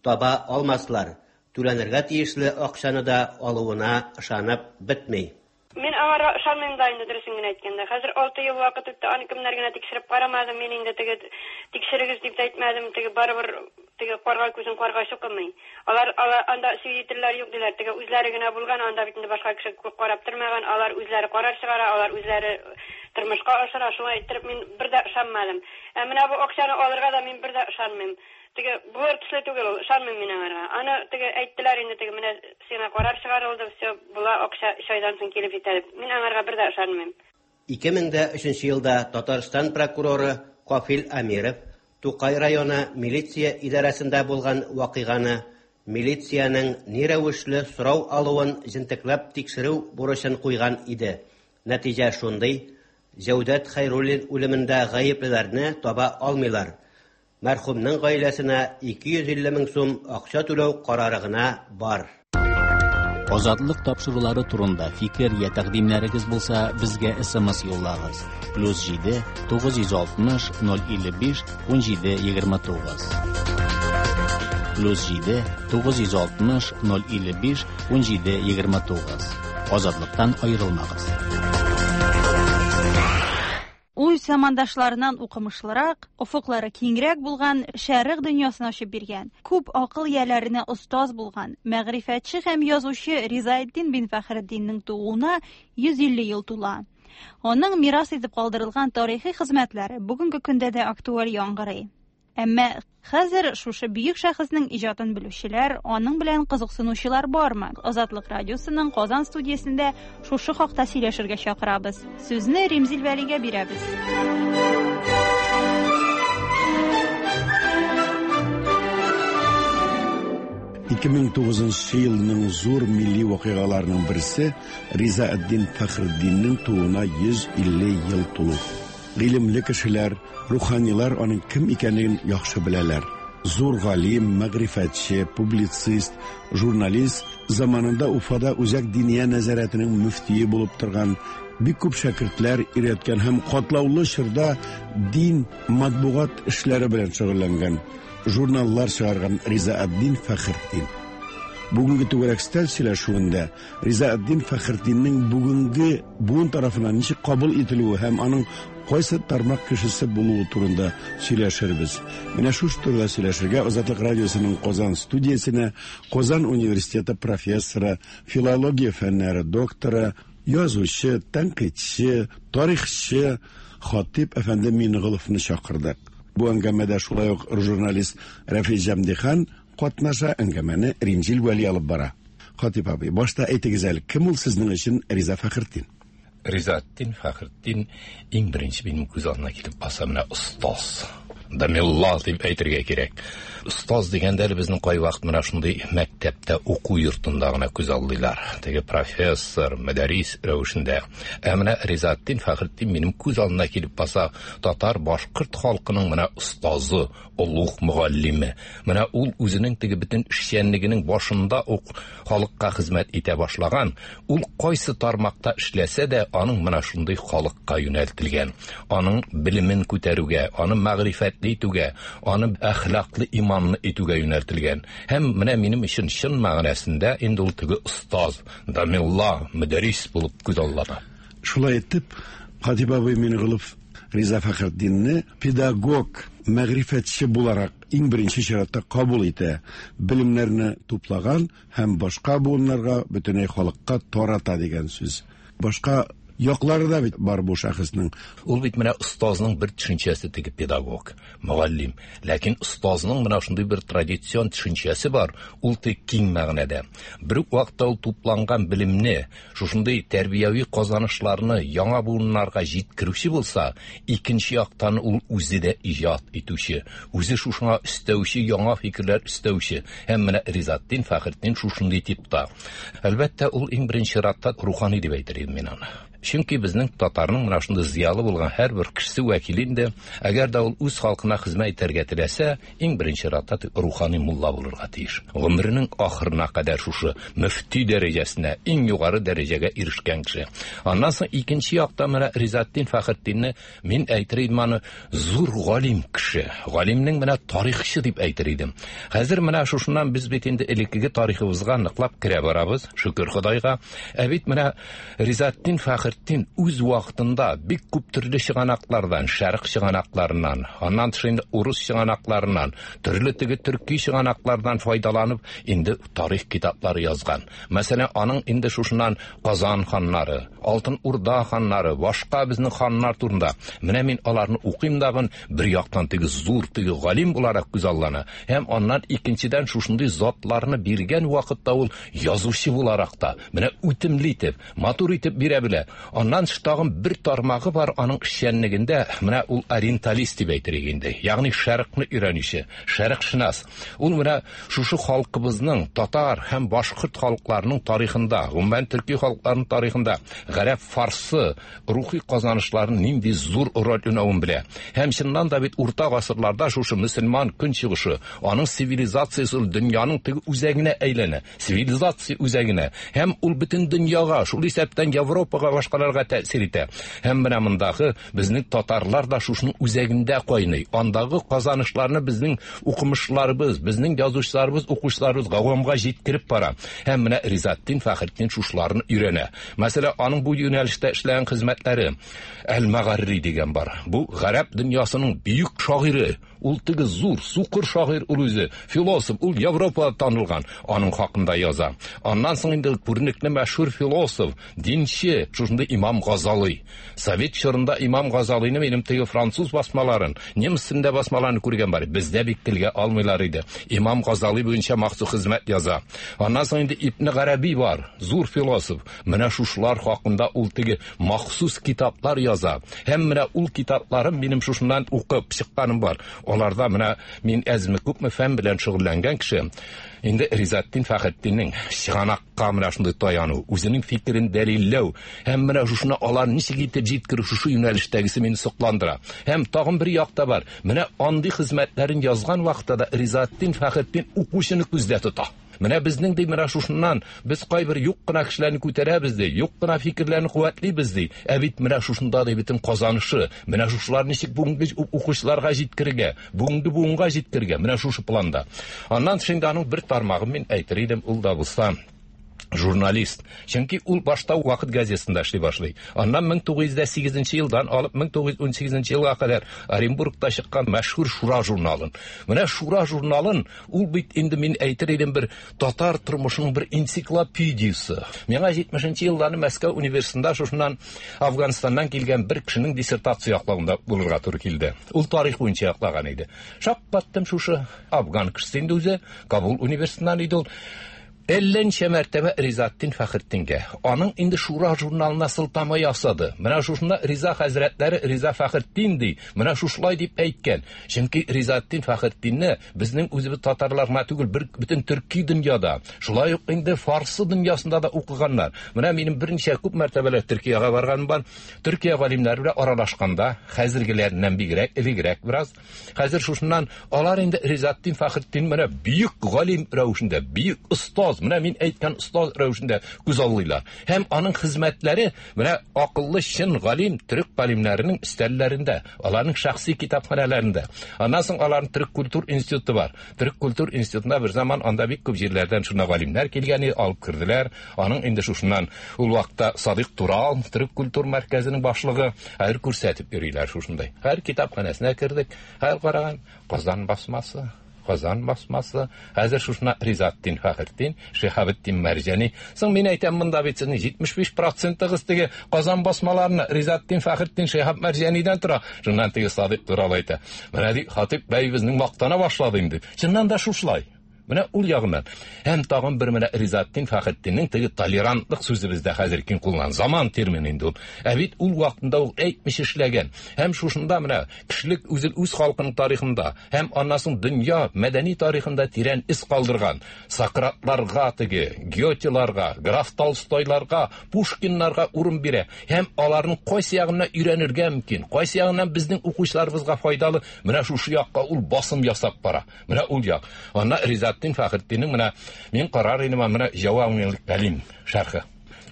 таба алмаслар. Түләнергә тиешле акчаны да алуына ышанып бетми. Мин аңарга ышанмыйм да инде, дөресен генә әйткәндә. Хәзер алты ел вакыт үтте, аны кемнәр генә тикшереп карамады. Мин инде теге тикшерегез дип тә әйтмәдем, теге барыбер теге карга күзен карга чукымый. Алар, алар анда свидетельләр юк диләр, теге үзләре генә булган, анда бит инде башка кеше карап тормаган, алар үзләре карар чыгара, алар үзләре тормышка ашыра. Шулай иттереп мин бер дә ышанмадым. Ә менә бу акчаны алырга да мин бер дә ышанмыйм. Теге булыр төсле түгел ул, ышанмыйм мин аңарга. Аны теге әйттеләр инде, теге менә сиңа карар чыгарылды, все, була акча өч айдан соң килеп җитә дип. Мин аңарга бер дә ышанмыйм. ике мең дә өченче елда Татарстан прокуроры Кафил Әмиров Тукай районы милиция идарәсендә булган вакыйганы, милициянең ни рәвешле сорау алуын җентекләп тикшерү бурычын куйган иде. Нәтиҗә шундый: Җәүдәт Хәйруллин үлемендә гаеплеләрне таба алмыйлар. Мәрхүмнең гаиләсенә ике йөз илле мең сум акча түләү карары гына бар. Азатлык тапшырулары турында фикер я тәкъдимнәрегез булса, безгә эс эм эс юллагыз. Плюс җиде тугыз йөз алтмыш ноль илле биш ун җиде егерме тугыз. Плюс җиде тугыз йөз алтмыш ноль илле биш ун җиде егерме тугыз. Азатлыктан аерылмагыз. Үз замандашларынан укымышлырак, офыклары киңрәк булган, шәрык дөньясын ачып биргән, күп акыл ияләренә остаз булган, мәгърифәтче һәм язучы Ризаэддин бин Фәхретдиннең тууына йөз илле ел тула. Аның мирас итеп калдырылган тарихи хезмәтләре бүгенге көндә дә актуаль яңгырый. Әмма хәзер шушы бөек шәхеснең иҗатын белүчеләр, аның белән кызыксынучылар бармы? Азатлык радиосының Казан студиясендә шушы хакта сөйләшергә чакырабыз. Сүзне Римзил Вәлигә бирәбез. ике мең тугызынчы елның зур милли вакыйгаларының берсе Ризаэддин Фәхретдиннең тууына йөз илле ел тулу. Гыйлемле кешеләр, руханилар аның кем икәнлеген яхшы беләләр. Зур галим, мәгърифәтче, публицист, журналист, заманында Уфада Үзәк Диния нәзарәтенең мөфтие булып торган, бик күп шәкертләр өйрәткән һәм катлаулы чорда дин, матбугат эшләре белән шөгыльләнгән, журналлар чыгарган Ризаэддин Фәхретдин. Бүгенге түгәрәк өстәл сөйләшүендә Ризаэддин Фәхретдиннең бүгенге буын тарафыннан ничек кабул ителүе һәм аның кайсы тармак кешесе булуы турында сөйләшербез. Менә шушы турыда сөйләшергә Азатлык радиосының Казан студиясенә Казан университеты профессоры, филология фәннәре докторы, язучы, тәнкыйтьче, тарихчы Хатип әфәнде Минеголовны чакырдык. Бу әңгәмәдә шулай ук журналист Рәфис Җәмдихан катнаша. Әңгәмәне Римзил Вәли алып бара. Хатип абый, башта әйтегез әле, кем ул сезнең өчен Риза Фәхретдин? Ризаэтдин Фәхретдин иң беренче минем күз алдына килеп баса менә остаз. Дамилла дип әйтергә кирәк. Остаз дигәндә әле безнең кайвакыт менә шундый мәктәптә уку йортында гына күз алдыйлар. Теге профессор, мөдәррис рәвешендә. Ә менә Ризаэтдин Фәхретдин минем күз алдына килеп баса татар башкорт халкының менә остазы, олуг мөгаллиме. Менә ул үзенең теге бөтен эшчәнлегенең башында ук халыкка хезмәт итә башлаган. Ул кайсы тармакта эшләсә дә, аның менә шундый халыкка юнәлтелгән. Аның белемен күтәрүгә, аны мәгърифәтле итүгә, аны әхлаклы, иманлы итүгә юнәлтелгән. Һәм менә минем өчен чын мәгънәсендә инде ул теге остаз, дамилла, мөдәррис булып күз алдына. Шулай итеп, Хатип абый Мингулов Риза Фәхретдинне педагог, мәгърифәтче буларак иң беренче чиратта кабул итә, белемнәрне туплаган һәм башка буыннарга, бөтенләй халыкка тарата дигән сүз. Башка яклары да бит бар бу шәхеснең. Ул бит менә остазның бер төшенчәсе теге педагог, мөгаллим. Ләкин остазның менә шундый бер традицион төшенчәсе бар, ул тик киң мәгънәдә. Бер үк вакытта ул тупланган белемне, шушындый тәрбияви казанышларны яңа буыннарга җиткерүче булса, икенче яктан ул үзе дә иҗат итүче, үзе шушыңа өстәүче, яңа фикерләр өстәүче. Һәм менә Ризаэтдин Фәхретдин шушындый типта. Әлбәттә, ул иң беренче чиратта рухани дип әйтер идем мин аны. Чөнки безнең татарның менә шундый зыялы булган һәрбер кешесе вәкиле инде, әгәр дә ул үз халкына хезмәт итәргә теләсә, иң беренче чиратта рухани мулла булырга тиеш. Гомеренең ахырына кадәр шушы мөфти дәрәҗәсенә, иң югары дәрәҗәгә ирешкән кеше. Аннан соң икенче якта менә Ризаэтдин Фәхретдинне мин әйтер идем аны зур галим кеше, галимнең менә тарихчы дип әйтер идем. Хәзер менә шушыннан без бит инде элеккеге тарихыбызга ныклап керә барабыз, шөкер Ходайга. Ә бит менә Ризаэтдин Фәхретдин үз вакытында бик күп төрле чыганаклардан, шәрык чыганакларыннан, аннан тыш инде урыс чыганакларыннан, төрле теге төрки чыганаклардан файдаланып инде тарих китаплары язган. Мәсәлән, аның инде шушыннан Казан ханнары, Алтын Урда ханнары, башка безнең ханнар турында. Менә мин аларны укыйм дагын, бер яктан теге зур теге галим буларак күз алдына, һәм аннан икенчедән шушындый затларны биргән вакытта ул язучы буларак та менә үтемле итеп, матур итеп бирә белә. Аннан тагын бер тармагы бар аның эшчәнлегендә, менә ул ориенталист дип әйтер инде, ягъни шәрыкны өйрәнүче, шәрыкшынас. Ул менә шушы халкыбызның татар һәм башкорт халыкларының тарихында, гомумән төрки халыкларының тарихында гарәп, фарсы рухи казанышларының нинди зур роль уйнавын белә. Һәм чыннан да бит урта гасырларда шушы мөселман көнчыгышы, аның цивилизациясе ул дөньяның теге үзәгенә әйләнә, цивилизация үзәгенә. Һәм ул бөтен дөньяга, шул исәптән Европага, башкаларга тәэсир итә. Һәм менә мондагы безнең татарлар да шушының үзәгендә кайный. Андагы казанышларны безнең укымышларыбыз, безнең язучыларыбыз, укучыларыбыз гавамга җиткереп бара. Һәм менә Ризаэтдин Фәхретдин шушыларны өйрәнә. Мәсәлән, аның бу юнәлештә эшләгән хезмәтләре Әл-Мәгарри дигән бар. Бу гарәп дөньясының бөек шагыйре. Ул теге зур, сукыр шагыйрь ул үзе, философ, ул Европада танылган, аның хакында яза. Аннан соң инде күренекле мәшһүр философ, динче, шушындый Имам Газали. Совет чорында Имам Газалины минем теге француз басмаларын, немец телендә басмаларын күргән бар. Бездә бик телгә алмыйлар иде. Имам Газали буенча махсус хезмәт яза. Аннан соң инде Ибн Гарәби бар, зур философ. Менә шушылар хакында ул теге махсус китаплар яза. Һәм менә ул китапларын минем шушыннан укып чыкканым бар. Аларда менә мин әзме күпме фән белән шөгыльләнгән кеше. Инде Ризаэтдин Фәхретдиннең чыганакка менә шундый таяну, үзенең фикерен дәлилләү һәм менә шушына алар ничек итеп җиткерү, шушы юнәлештәгесе мине сокландыра. Һәм тагын бер якта бар. Менә андый хезмәтләрен язган вакытта да Ризаэтдин Фәхретдин укучыны күздә тота. Менә безнең ди менә шушыннан без кайбер юк кына кешеләрне күтәрәбез ди, юк кына фикерләрне куәтлибез ди. Ә бит менә шушында ди бөтен казанышы, менә шушылар ничек бүгенге укучыларга җиткерергә, бүгенге буынга җиткерергә, менә шушы планда. Аннан тыш инде аның бер тармагын мин әйтер идем, ул да булса Журналист. Чөнки ул башта Вакыт газетасында эшли башлый. Аннан мең тугыз йөз сигезенче елдан алып мең тугыз йөз унсигезенче елга кадәр Оренбургта чыккан мәшһүр Шура журналын. Менә Шура журналын ул бит инде мин әйтер идем бер татар тормышының бер энциклопедиясе. Миңа җитмешенче елларны Мәскәү университетында шушыннан Афганистаннан килгән бер кешенең диссертация яклавында булырга туры килде. Ул тарих буенча яклаган иде. Шаккаттым шушы афган кешесе инде үзе, Кабул университетыннан иде ул. Әллә ничә мәртәбә Ризаэтдин Фәхретдингә, аның инде Шура журналына сылтама ясады. Менә шушында Риза хәзрәтләре Риза Фәхретдин ди, менә шушылай дип әйткән. Чөнки Ризаэтдин Фәхретдинне безнең үзебез татарлар гына түгел, бер бөтен төрки дөньяда, шулай ук инде фарсы дөньясында да укыганнар. Менә минем берничә күп мәртәбәләр Төркиягә барганым бар. Төркия галимнәре белән аралашканда, хәзергеләреннән бигрәк, элегрәк бераз. Хәзер шушыннан алар инде Ризаэтдин Фәхретдин менә бөек галим рәвешендә, бөек остаз, менә мин әйткән остаз рәвешендә күз аллыйлар. Һәм аның хезмәтләре менә акыллы чын галим төрек галимнәренең өстәлләрендә, аларның шәхси китапханәләрендә. Аннан соң аларның Төрек культур институты бар. Төрек культур институтында бер заман анда бик күп җирләрдән шуна галимнәр килгән, алып керделәр. Аның инде шушыннан ул вакытта Садык Турал, Төрек культур мәркәзенең башлыгы, хәзер күрсәтеп йөриләр шушындай. Һәр китапханәсенә кердек, һәр караган Казан басмасы, Казан басмасы, хәзер шушына Ризаэтдин Фәхретдин, Шиһабетдин Мәрҗани. Соң мин әйтәм, монда бит сезнең җитмеш биш процентыгыз теге Казан басмаларына Ризаэтдин Фәхретдин, Шиһаб Мәрҗанидән тора. Шуннан теге Садык Турал әйтә. Менә ди, Хатип бәй безнең мактана башлады инде. Чыннан да шушылай. Менә ул ягыннан. Һәм тагын бер менә Ризаэтдин Фәхретдиннең теге толерантлык сүзе бездә хәзер киң кулланыла. Заман термины инде ул. Ә бит ул вакытында ул әйтмеш эшләгән. Һәм шушында менә кешелек үзе үз халкының тарихында һәм аннан соң дөнья мәдәни тарихында тирән из калдырган. Сократларга теге, Гётеларга, граф Толстойларга, Пушкиннарга урын бирә. Һәм аларның кайсы ягыннан өйрәнергә мөмкин, кайсы ягыннан безнең укучыларыбызга файдалы, менә шушы якка ул басым ясап бара. Менә ул як. Анна Ризаэтдин Фәхретдиннең менә мин карар идем, менә Җавамил Кәлим шәрхе.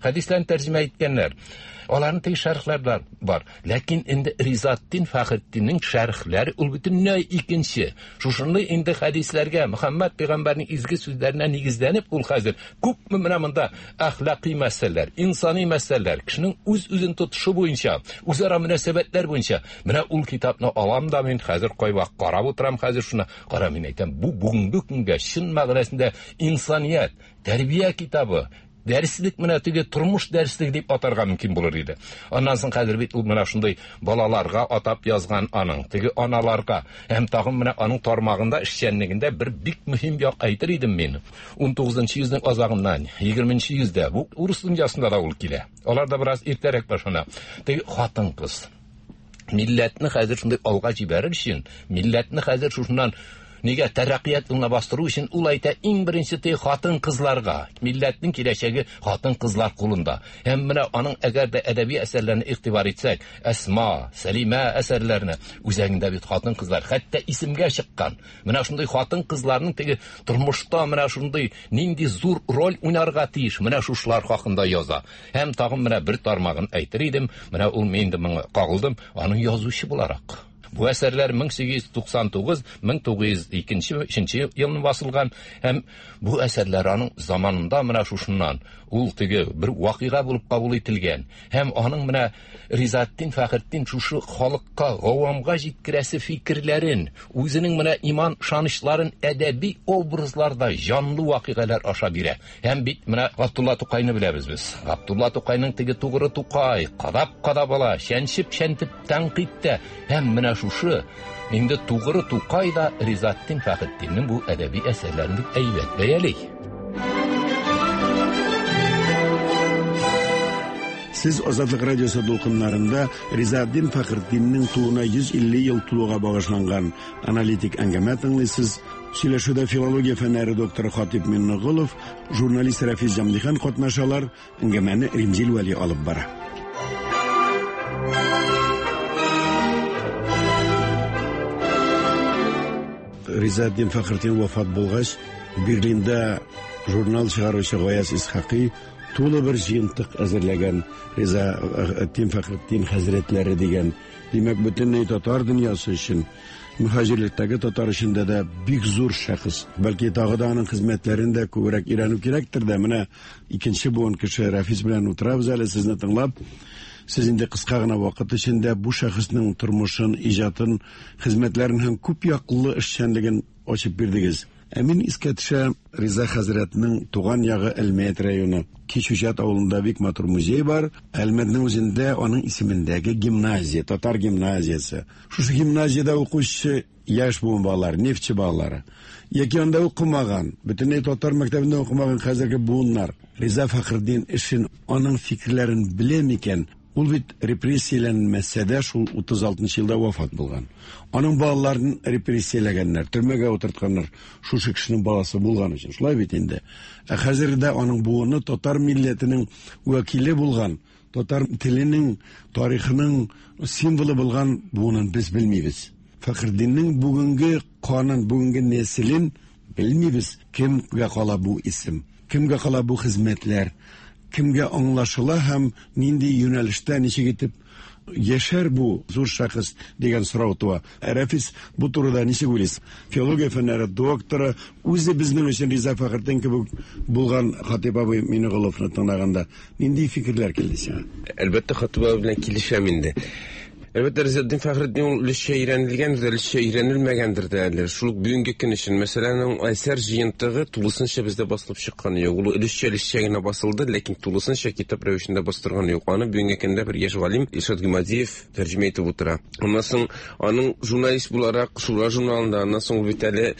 Хәдисләрне тәрҗемә иткәннәр. Аларның теге шәрхләре бар. Ләкин инде Ризаэтдин Фәхретдиннең шәрхләре ул бөтенләй икенче. Шушындай инде хәдисләргә, Мөхәммәд пәйгамбәрнең изге сүзләренә нигезләнеп ул хәзер күпме менә монда әхлакый мәсьәләләр, инсани мәсьәләләр, кешенең үз-үзен тотышы буенча, үзара мөнәсәбәтләр буенча. Менә ул китапны алам да мин хәзер кайвак карап утырам хәзер шуны. Кара, мин әйтәм, бу бүгенге көнгә чын мәгънәсендә инсаният, тәрбия китабы. Дәреслек менә теге тормыш дәреслеге дип атарга мөмкин булыр иде. Аннан соң хәзер бит ул менә шундый балаларга атап язган аның, теге аналарга һәм тагын менә аның тармагында эшчәнлегендә бер бик мөһим як әйтер идем мин. Унтугызынчы йөзнең азагыннан егерменче йөздә бу урыс дөньясында да ул килә. Алар да бераз иртәрәк башлана. Теге хатын-кыз милләтне хәзер шундый алга җибәрер өчен, милләтне хәзер шушыннан нигә тәрәккыят юлына бастыру өчен ул әйтә, иң беренче те хатын-кызларга, милләтнең киләчәге хатын-кызлар кулында. Һәм менә аның әгәр дә әдәби әсәрләренә игътибар итсәк, Әсма, Сәлимә әсәрләренә үзәгендә бит хатын-кызлар, хәтта исемгә чыккан. Менә шундый хатын-кызларның теге тормышта менә шундый нинди зур роль уйнарга тиеш, менә шушылар хакында яза. Һәм тагын менә бер тармагын әйтер идем, менә ул мин инде моңа кагылдым, аның язучы буларак. Бу әсәрләр мең сигез йөз туксан тугыз, мең тугыз йөз икенче, өченче елны басылган һәм бу әсәрләр аның заманында менә шушыннан ул теге бер вакыйга булып кабул ителгән. Һәм аның менә Ризаэтдин Фәхретдин шушы халыкка, гавамга җиткерәсе фикерләрен, үзенең менә иман ышанычларын әдәби образларда җанлы вакыйгалар аша бирә. Һәм бит менә Габдулла Тукайны беләбез без. Габдулла Тукайның теге тугры Тукай, кадап-кадап ала, чәнчеп-чәнтеп тәнкыйтьтә. Һәм менә шушы инде тугры Тукай да Ризаэтдин Фәхретдиннең бу әдәби әсәрләрен бик әйбәт бәяли. Сез Азатлык радиосы дулкыннарында Ризаэтдин Фәхретдиннең тууына йөз илле ел тулуга багышланган аналитик әңгәмә тыңлыйсыз. Сөйләшүдә филология фәннәре докторы Хатип Миңнеголов, журналист Рафис Җамлихан катнашалар. Әңгәмәне Римзил Вәли алып бара. Ризаэтдин Фәхретдин вафат булгач, Берлинда журнал чыгаручы Гаяз Исхакый тулы бер җыентык әзерләгән Ризаэтдин Фәхретдин хәзрәтләре дигән. Димәк, бөтенләй татар дөньясы өчен Мөһаҗирлектәге татар эчендә дә бик зур шәхес. Бәлки тагы да аның хезмәтләрен дә күбрәк өйрәнү кирәктер дә. Менә икенче буын кеше Рафис белән утырабыз әле сезне тыңлап. Сез инде кыска гына вакыт эчендә бу шәхеснең тормышын, иҗатын, хезмәтләрен һәм күп яклы эшчәнлеген ачып бирдегез. Ә мин искә төшә Риза хәзрәтнең туган ягы Әлмәт районы. Кичүчат авылында бик матур музей бар. Әлмәтнең үзендә аның исемендәге гимназия, татар гимназиясе. Шушы гимназиядә укучы яшь буын балалары, нефтче балалары, яки анда укымаган, бөтенләй татар мәктәбендә укымаган хәзерге буыннар Риза Фәхретдин эшен, аның фикерләрен белә микән? Ул бит репрессияләнмәсә дә шул утыз алтынчы елда вафат булган. Аның балаларын репрессияләгәннәр, төрмәгә утыртканнар, шушы кешенең баласы булган өчен. Шулай бит инде. Ә хәзер дә аның буыны татар милләтенең вәкиле булган, татар теленең, тарихының символы булган буынын без белмибез. Фәхретдиннең бүгенге канын, бүгенге нәселен белмибез. Кемгә кала бу исем? Кемгә кала бу хезмәтләр? Кемгә аңлашыла һәм нинди юнәлештә ничек итеп яшәр бу зур шәхес дигән сорау туа. Рафис, бу турыда ничек уйлыйсыз? Филология фәннәре докторы, үзе безнең өчен Риза Фәхретдин кебек булган Хатип абый Минеголовны тыңлаганда нинди фикерләр килде сиңа? Әлбәттә, Хатип абый белән килешәм инде. Әлбәттә, Ризаэддин Фәхретдин ул өлешчә өйрәнелгәндер дә, өлешчә өйрәнелмәгәндер дә әле. Шул ук бүгенге көн өчен, мәсәлән, аның әсәр җыентыгы тулысынча бездә басылып чыкканы юк. Ул өлешчә өлешчә генә басылды, ләкин тулысынча китап рәвешендә бастырганы юк. Аны бүгенге көндә бер яшь галим Илшат Гыймадиев тәрҗемә итеп утыра. Аннан соң аның журналист буларак Шура журналында, аннан соң ул бит әле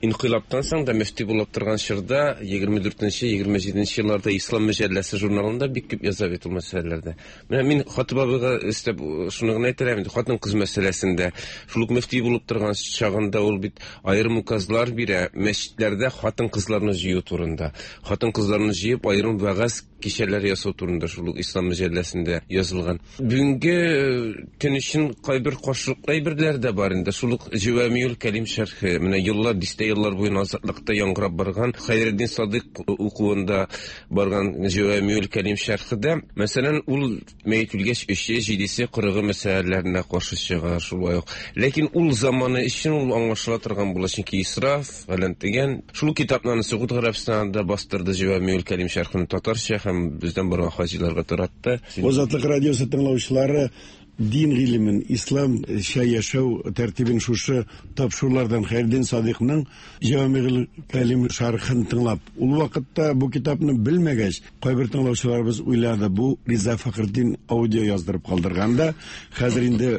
инкыйлабтан соң да мөфти булып торган чорда егерме дүртенче, егерме җиденче елларда Ислам мәҗәлләсе журналында бик күп яза бит ул мәсьәләләрдә. Менә мин Хатип абыйга өстәп шуны гына әйтер идем, хатын-кыз мәсьәләсендә шул ук мөфти булып торган чагында ул бит аерым указлар бирә мәчетләрдә хатын-кызларны җыю турында. Хатын-кызларны җыеп аерым вәгазь кичәләр ясау турында шул ук Ислам мәҗәлләсендә язылган. Бүгенге көн өчен кайбер каршылыклы әйберләр дә бар инде. Шул ук Җавамиул Кәлим шәрхе, менә еллар, дистә еллар буена азатлыкта яңгырап барган Хәйретдин Садыйк укуында барган Җавамиул Кәлим шәрхедә, мәсәлән, ул мәет үлгәч өче, җидесе, кырыгы мәсьәләләренә каршы чыга шулай ук. Ләкин ул заманы өчен ул аңлашыла торган була, чөнки исраф, фәлән дигән. Шул китапны Согуд Гарәбстанында бастырды Җавамиул Кәлим шәрхен татарча һәм бездән барган хаҗиларга таратты. Азатлык радиосы тыңлаучылары дин гыйлемен, исламча яшәү тәртибен шушы тапшырулардан Хәйретдин Садыйкның Җавамиул Кәлим шәрхен тыңлап, ул вакытта бу китапны белмәгәч, кайбер тыңлаучыларыбыз уйлады, бу Риза Фәхретдин аудио яздырып калдырган да, хәзер инде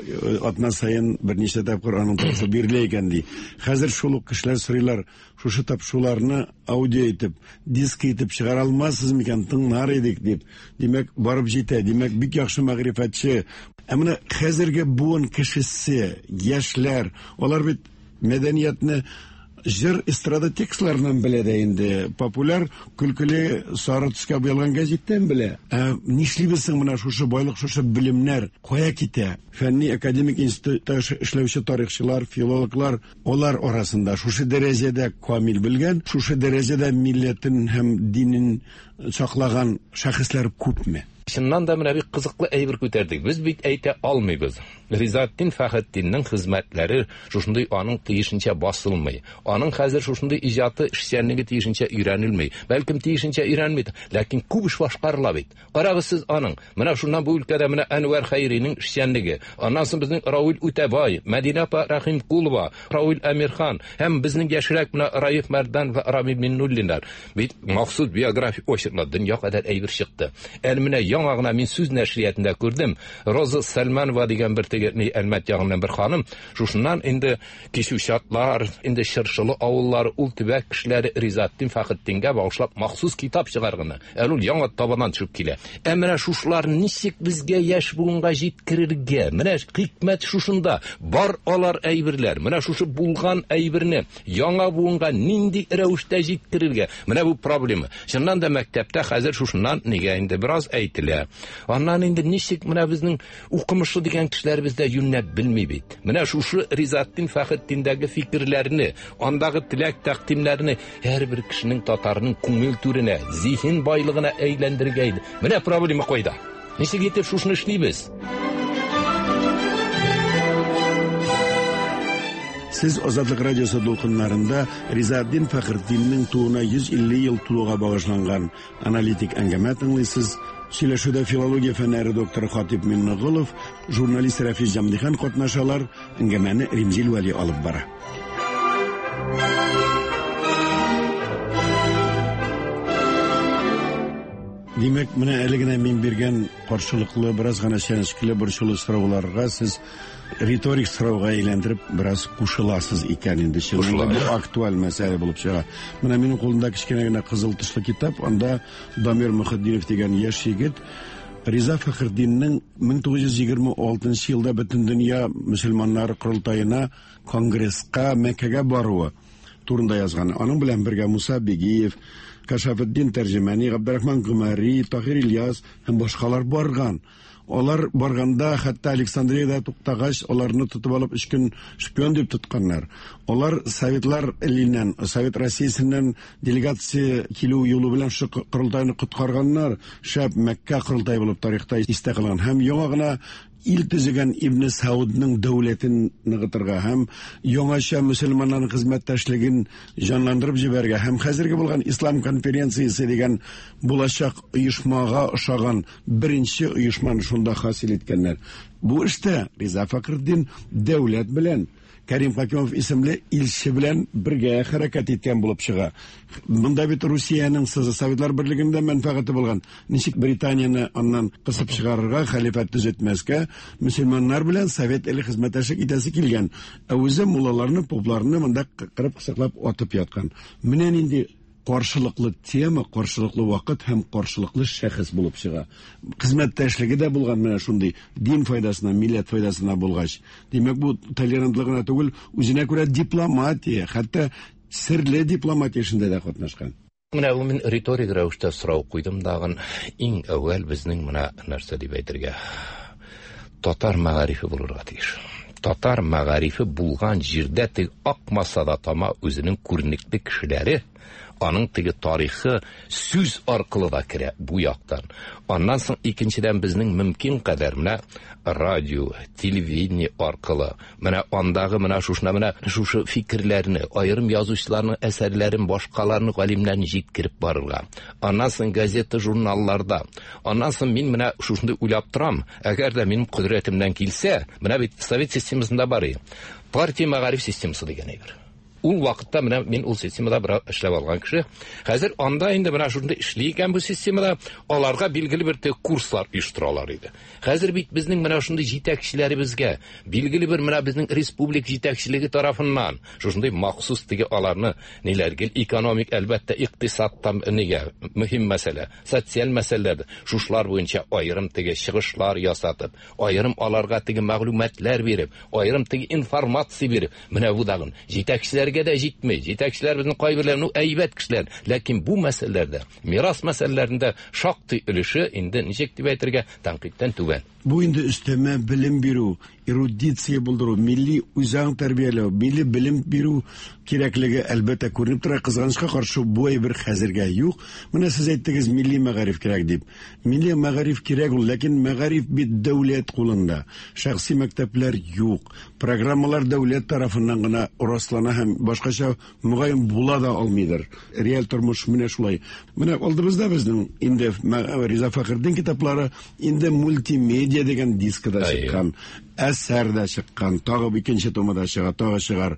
атна саен берничә тапкыр аның тавышы бирелә икән ди. Хәзер шул ук кешеләр сорыйлар, шушы тапшыруларны аудио итеп, диск итеп чыгара алмассыз микән, тыңлар идек дип. Димәк, барып җитә, димәк, бик яхшы мәгърифәтче. Ә менә хәзерге буын кешесе, яшьләр, алар бит мәдәниятне җыр эстрада текстларыннан белә дә инде, популяр көлкеле сары төскә буялган гәзиттән белә. Ә нишлибез соң менә шушы байлык, шушы белемнәр кая китә? Фәнни академик институтта эшләүче тарихчылар, филологлар, алар арасында шушы дәрәҗәдә камил белгән, шушы дәрәҗәдә милләтен һәм динен саклаган шәхесләр күпме? Чыннан да менә бик кызыклы әйбер күтәрдек. Без бит әйтә алмыйбыз. Ризаэддин Фәхретдиннең хезмәтләре шушындый аның тиешенчә басылмый. Аның хәзер шушындый иҗаты, эшчәнлеге тиешенчә өйрәнелми. Бәлкем тиешенчә өйрәнми, ләкин күп эш башкарыла бит. Карагыз сез аның. Менә шуннан бу өлкәдә менә Әнвәр Хәйринең эшчәнлеге. Аннан соң безнең Равил Үтәбай, Мәдинә апа Рәхимкулова, Равил Әмирхан һәм безнең яшьрәк менә Раиф Мәрдан ва Рамил Миннуллиннар. Бит махсус биографик очерклар дөнья кадәр әйбер чыкты. Әле менә яңа гына мин сүз нәшриятында күрдем. Роза Сәлманова дигән бер теге ни Әлмәт ягыннан бер ханым, шушыннан инде Кичүчатлар, инде Чыршылы авыллары, ул төбәк кешеләре Ризаэддин Фәхретдингә багышлап махсус китап чыгарганы. Әле ул яңа табаннан төшеп килә. Ә менә шушылар ничек безгә яшь буынга җиткерергә? Менә хикмәт шушында. Бар алар әйберләр. Менә шушы булган әйберне яңа буынга нинди рәвештә җиткерергә? Менә бу проблема. Чыннан да мәктәптә хәзер шушыннан нигә инде бераз әйтелә. Аннан инде ничек менә безнең укымышлы дигән кешеләребез дә юньләп белми бит. Менә шушы Ризаэддин Фәхретдиндәге фикерләрне, андагы теләк тәкъдимнәрне һәрбер кешенең, татарның күңел түренә, зиһен байлыгына әйләндергә иде. Менә проблема кайда? Ничек итеп шушыны эшлибез? Сез Азатлык радиосы дулкыннарында Ризаэддин Фәхретдиннең тууына йөз илле ел тулуга багышланган аналитик әңгәмә тыңлыйсыз. Сөйләшүдә филология фәннәре докторы Хатип Миңнеголов, журналист Рәфис Җәмдихан катнашалар. Әңгәмәне Римзил Вәли алып бара. Димәк, менә әле генә мин биргән каршылыклы, бераз гына чәнечкеле, борчулы сорауларга сез риторик сорауга әйләндереп бераз кушыласыз икән инде. Чынлап бу актуаль мәсьәлә булып чыга. Менә минем кулымда кечкенә генә кызыл тышлы китап, анда Дамир Мөхетдинов дигән яшь егет Риза Фәхретдиннең мең тугыз йөз егерме алтынчы елда Бөтендөнья мөселманнары корылтаена, конгресска Мәккәгә баруы турында язган. Аның белән бергә Муса Бигиев, Кашафетдин Тәрҗемәни, Габдрахман Гомәри, Таһир Ильяс һәм башкалар барган. Алар барганда хәтта Александриядә туктагач, аларны тотып алып өч көн шпион дип тотканнар. Алар Советлар иленнән, Совет Россиясеннән делегация килү юлы белән шу корылтайны коткарганнар. Шәп Мәккә корылтае булып тарихта истә калган. Һәм яңа гына ил төзегән Ибн Саудның дәүләтен ныгытырга һәм яңача мөселманнарның хезмәттәшлеген җанландырып җибәрергә һәм хәзерге булган Ислам конференциясе дигән булачак оешмага ошаган беренче оешманы шунда хасил иткәннәр. Бу эштә Риза Фәхретдин дәүләт белән Кәрим Хакимов исемле илче белән бергә хәрәкәт иткән булып чыга. Монда бит Русиянең Советлар Берлегендә мәнфәгате булган. Ничек Британияне аннан кысып чыгарырга, хәлифәт төзетмәскә, мөселманнар белән Совет иле хезмәттәшлек итәсе килгән. Ә үзе муллаларны, попларны монда кырып кысыклап атып яткан. Менә нинди каршылыклы тема, каршылыклы вакыт һәм каршылыклы шәхес булып чыга. Хезмәттәшлеге дә булган менә шундый дин файдасына, милләт файдасына булгач. Димәк, бу толерантлык гына түгел, үзенә күрә дипломатия, хәтта серле дипломатия эшендә дә катнашкан. Менә бу мин риторик рәвештә сорау куйдым дагын. Иң әүвәл безнең менә нәрсә дип әйтергә? Татар мәгарифе булырга тиеш. Татар мәгарифе булган җирдә тик акмаса да тама үзенең күренекле кешеләре, аның теге тарихы сүз аркылы да керә бу яктан. Аннан соң икенчедән безнең мөмкин кадәр менә радио, телевидение аркылы, менә андагы менә шушына менә шушы фикерләрне, аерым язучыларның әсәрләрен, башкаларны, галимнәрне җиткереп барырга. Аннан соң газета, журналларда. Аннан соң мин менә шушында уйлап торам, әгәр дә минем кодрәтемнән килсә, менә бит совет системасында бар иде. Партия мәгариф системасы дигән әйбер. Ул вакытта менә мин ул системада бер эшләп алган кеше. Хәзер анда инде менә шундый эшли икән бу системада, аларга билгеле бер курслар оештыралар иде. Хәзер бит безнең менә шундый җитәкчеләребезгә, билгеле бер менә безнең республика җитәкчелеге тарафыннан шушындый махсус теге аларны ниләр гел экономик, әлбәттә, икътисадта нигә мөһим мәсьәлә, социаль мәсьәләләр, шушлар буенча аерым теге чыгышлар ясатып, аерым аларга теге мәгълүматлар биреп, аерым теге информация биреп, менә бу дагын җитәкчеләргә дә җитми. Җитәкчеләр безнең кайберләре, ну, әйбәт кешеләр, ләкин бу мәсьәләләрдә, мирас мәсьәләләрендә шактый өлеше инде ничек дип әйтергә, тәнкыйтьтән түбән. Бу инде өстәмә белем бирү, эрудиция булдыру, милли үзаң тәрбияләү, милли белем бирү кирәклеге әлбәттә күренеп тора. Кызганычка каршы бу әйбер хәзергә юк. Менә сез әйттегез милли мәгариф кирәк дип. Милли мәгариф кирәк ул, ләкин мәгариф бит дәүләт кулында. Шәхси мәктәпләр юк. Программалар дәүләт тарафыннан гына раслана һәм башкача мөгаен була да алмыйдыр. Реаль тормыш менә шулай. Менә алдыбызда безнең инде Риза Фәхретдин китаплары инде мультимедиа дигән дискада чыккан, әсәр дә чыккан, тагы икенче томы да чыга, тагы чыгар.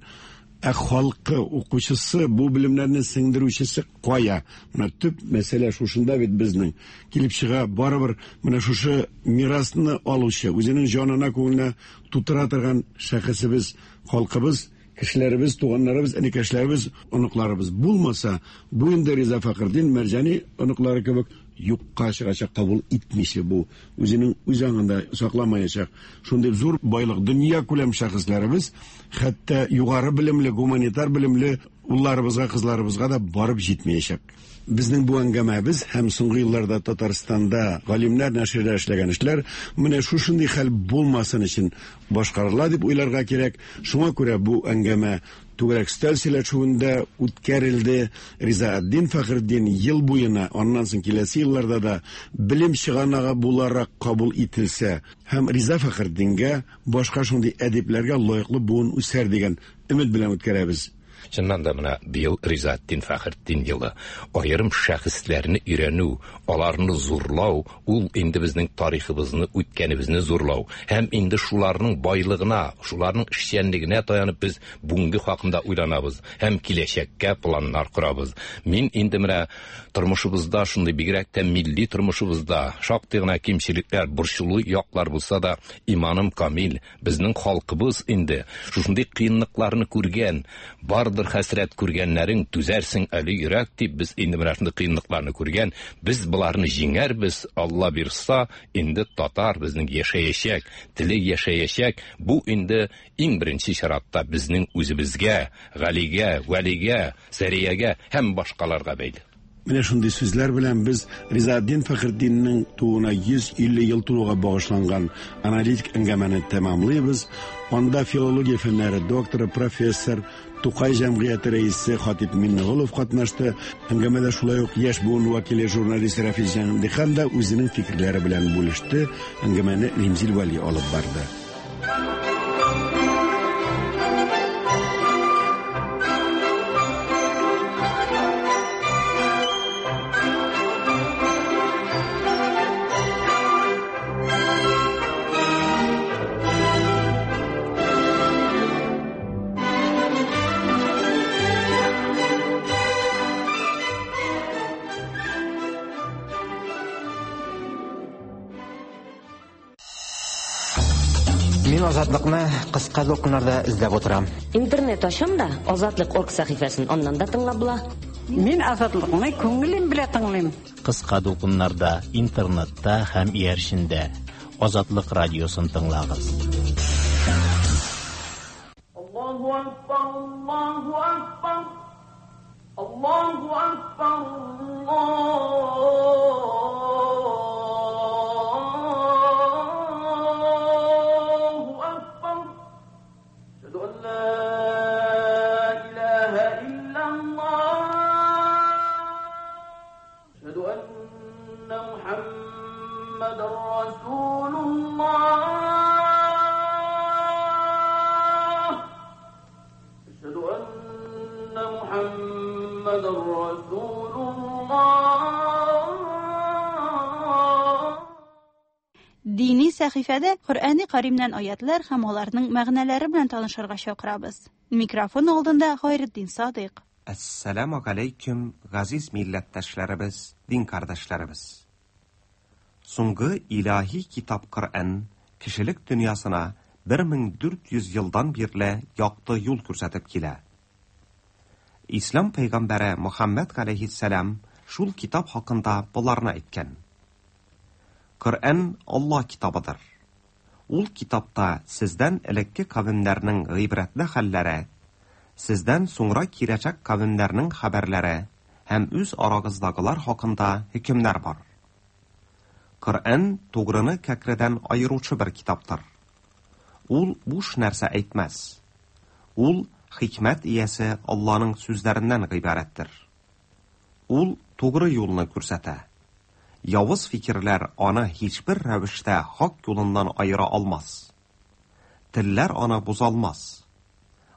Ә халкы, укучысы, бу белемнәрне сеңдерүчесе кая? Менә төп мәсьәлә шушында бит безнең. Килеп чыга, барыбер менә шушы мирасны алучы, үзенең җанына, күңеленә тутыра торган шәхесебез, халкыбыз, кешеләребез, туганнарыбыз, энекәшләребез, оныкларыбыз булмаса, бу инде Риза Фәхретдин Мәрҗани оныклары кебек юкка чыгачак, кабул итмичә бу үзенең үз аңында сакламаячак. Шундый зур байлык, дөнья күләм шәхесләребез, хәтта югары белемле, гуманитар белемле улларыбызга, кызларыбызга да барып җитмәячәк. Безнең бу әңгәмәбез һәм соңгы елларда Татарстанда галимнәр нәширдә эшләгән эшләр менә шушындый хәл булмасын өчен башкарыла дип уйларга кирәк. Шуңа күрә бу әңгәмә түгәрәк өстәл сөйләшүендә үткәрелде. Ризаэддин Фәхретдин ел буена, аннан соң киләсе елларда да белем чыганагы буларак кабул ителсә һәм Риза Фәхретдингә, башка шундый әдипләргә лаеклы буын үсәр дигән өмет белән үткәрәбез. Чыннан да менә быел Ризаэтдин Фәхретдин елы. Аерым шәхесләрне өйрәнү, аларны зурлау, ул инде безнең тарихыбызны, үткәнебезне зурлау һәм инде шуларның байлыгына, шуларның эшчәнлегенә таянып без бүгенге хакында уйланабыз һәм киләчәккә планнар корабыз. Мин инде менә тормышыбызда шундый, бигрәк тә милли тормышыбызда шактый гына кимчелекләр, борчулы яклар булса да, иманым камил, безнең халкыбыз инде шушындый кыенлыкларны күргән, бардыр хәсрәт күргәннәрең, түзәрсең әле йөрәк дип, без инде менә шундый кыенлыкларны күргән, без боларны җиңәрбез, Алла бирса, инде татар безнең яшәячәк, теле яшәячәк. Бу инде иң беренче чиратта безнең үзебезгә, Галигә, Вәлигә, Сәриягә һәм башкаларга бәйле. Менә шундый сүзләр белән без Ризаэтдин Фәхретдиннең тууына йөз илле ел тулуга багышланган аналитик әңгәмәне тәмамлыйбыз. Анда филология фәннәре докторы, профессор, Тукай җәмгыяте рәисе Хатип Миңнеголов катнашты. Әңгәмәдә шулай ук яшь буын вәкиле журналист Рафис Җәмдихан да үзенең фикерләре белән бүлеште. Әңгәмәне Римзил Вәли алып барды. Мин Азатлыкны кыска дулкыннарда эзләп утырам. Интернет ачам да Азатлык орг сәхифәсен аннан да тыңлап була. Мин Азатлыкны күңелем белән тыңлыйм. Кыска дулкыннарда, интернетта һәм иярчендә Азатлык радиосын тыңлагыз. Аллаһу акбар, Аллаһу акбар. Аллаһу акбар, Аллаһу акбар. Әшһәду ан ла илаһа иллаллаһ. Әшһәду анна Мухаммадан расулуллаһ. Әшһәду анна Мухаммадан расулуллаһ. Дини сәхифәдә Коръәни Каримнән аятлар һәм аларның мәгънәләре белән танышырга чакырабыз. Микрофон алдында Хайретдин Садыйк. Әссәламу алейкум, газиз милләттәшләребез, дин кардәшләребез. Соңгы илаһи китап Коръән кешелек дөньясына бер мең дүрт йөз елдан бирле якты юл күрсәтеп килә. Ислам пәйгамбәре Мухаммад галәйһиссәлам шул китап хакында боларны әйткән. Коръән Алла китабыдыр. Ул китапта сездән элекке кавемнәрнең гыйбрәтле хәлләре, сездән соңра киләчәк кавемнәрнең хәбәрләре һәм үз арагыздагылар хакында хөкемнәр бар. Коръән тугрыны кәкредән аеручы бер китаптыр. Ул буш нәрсә әйтмәс. Ул хикмәт иясе Алланың сүзләреннән гыйбарәттер. Ул тугры юлны күрсәтә. Явыз фикерләр аны һичбер рәвештә хак юлыннан аера алмас. Телләр аны бозалмас.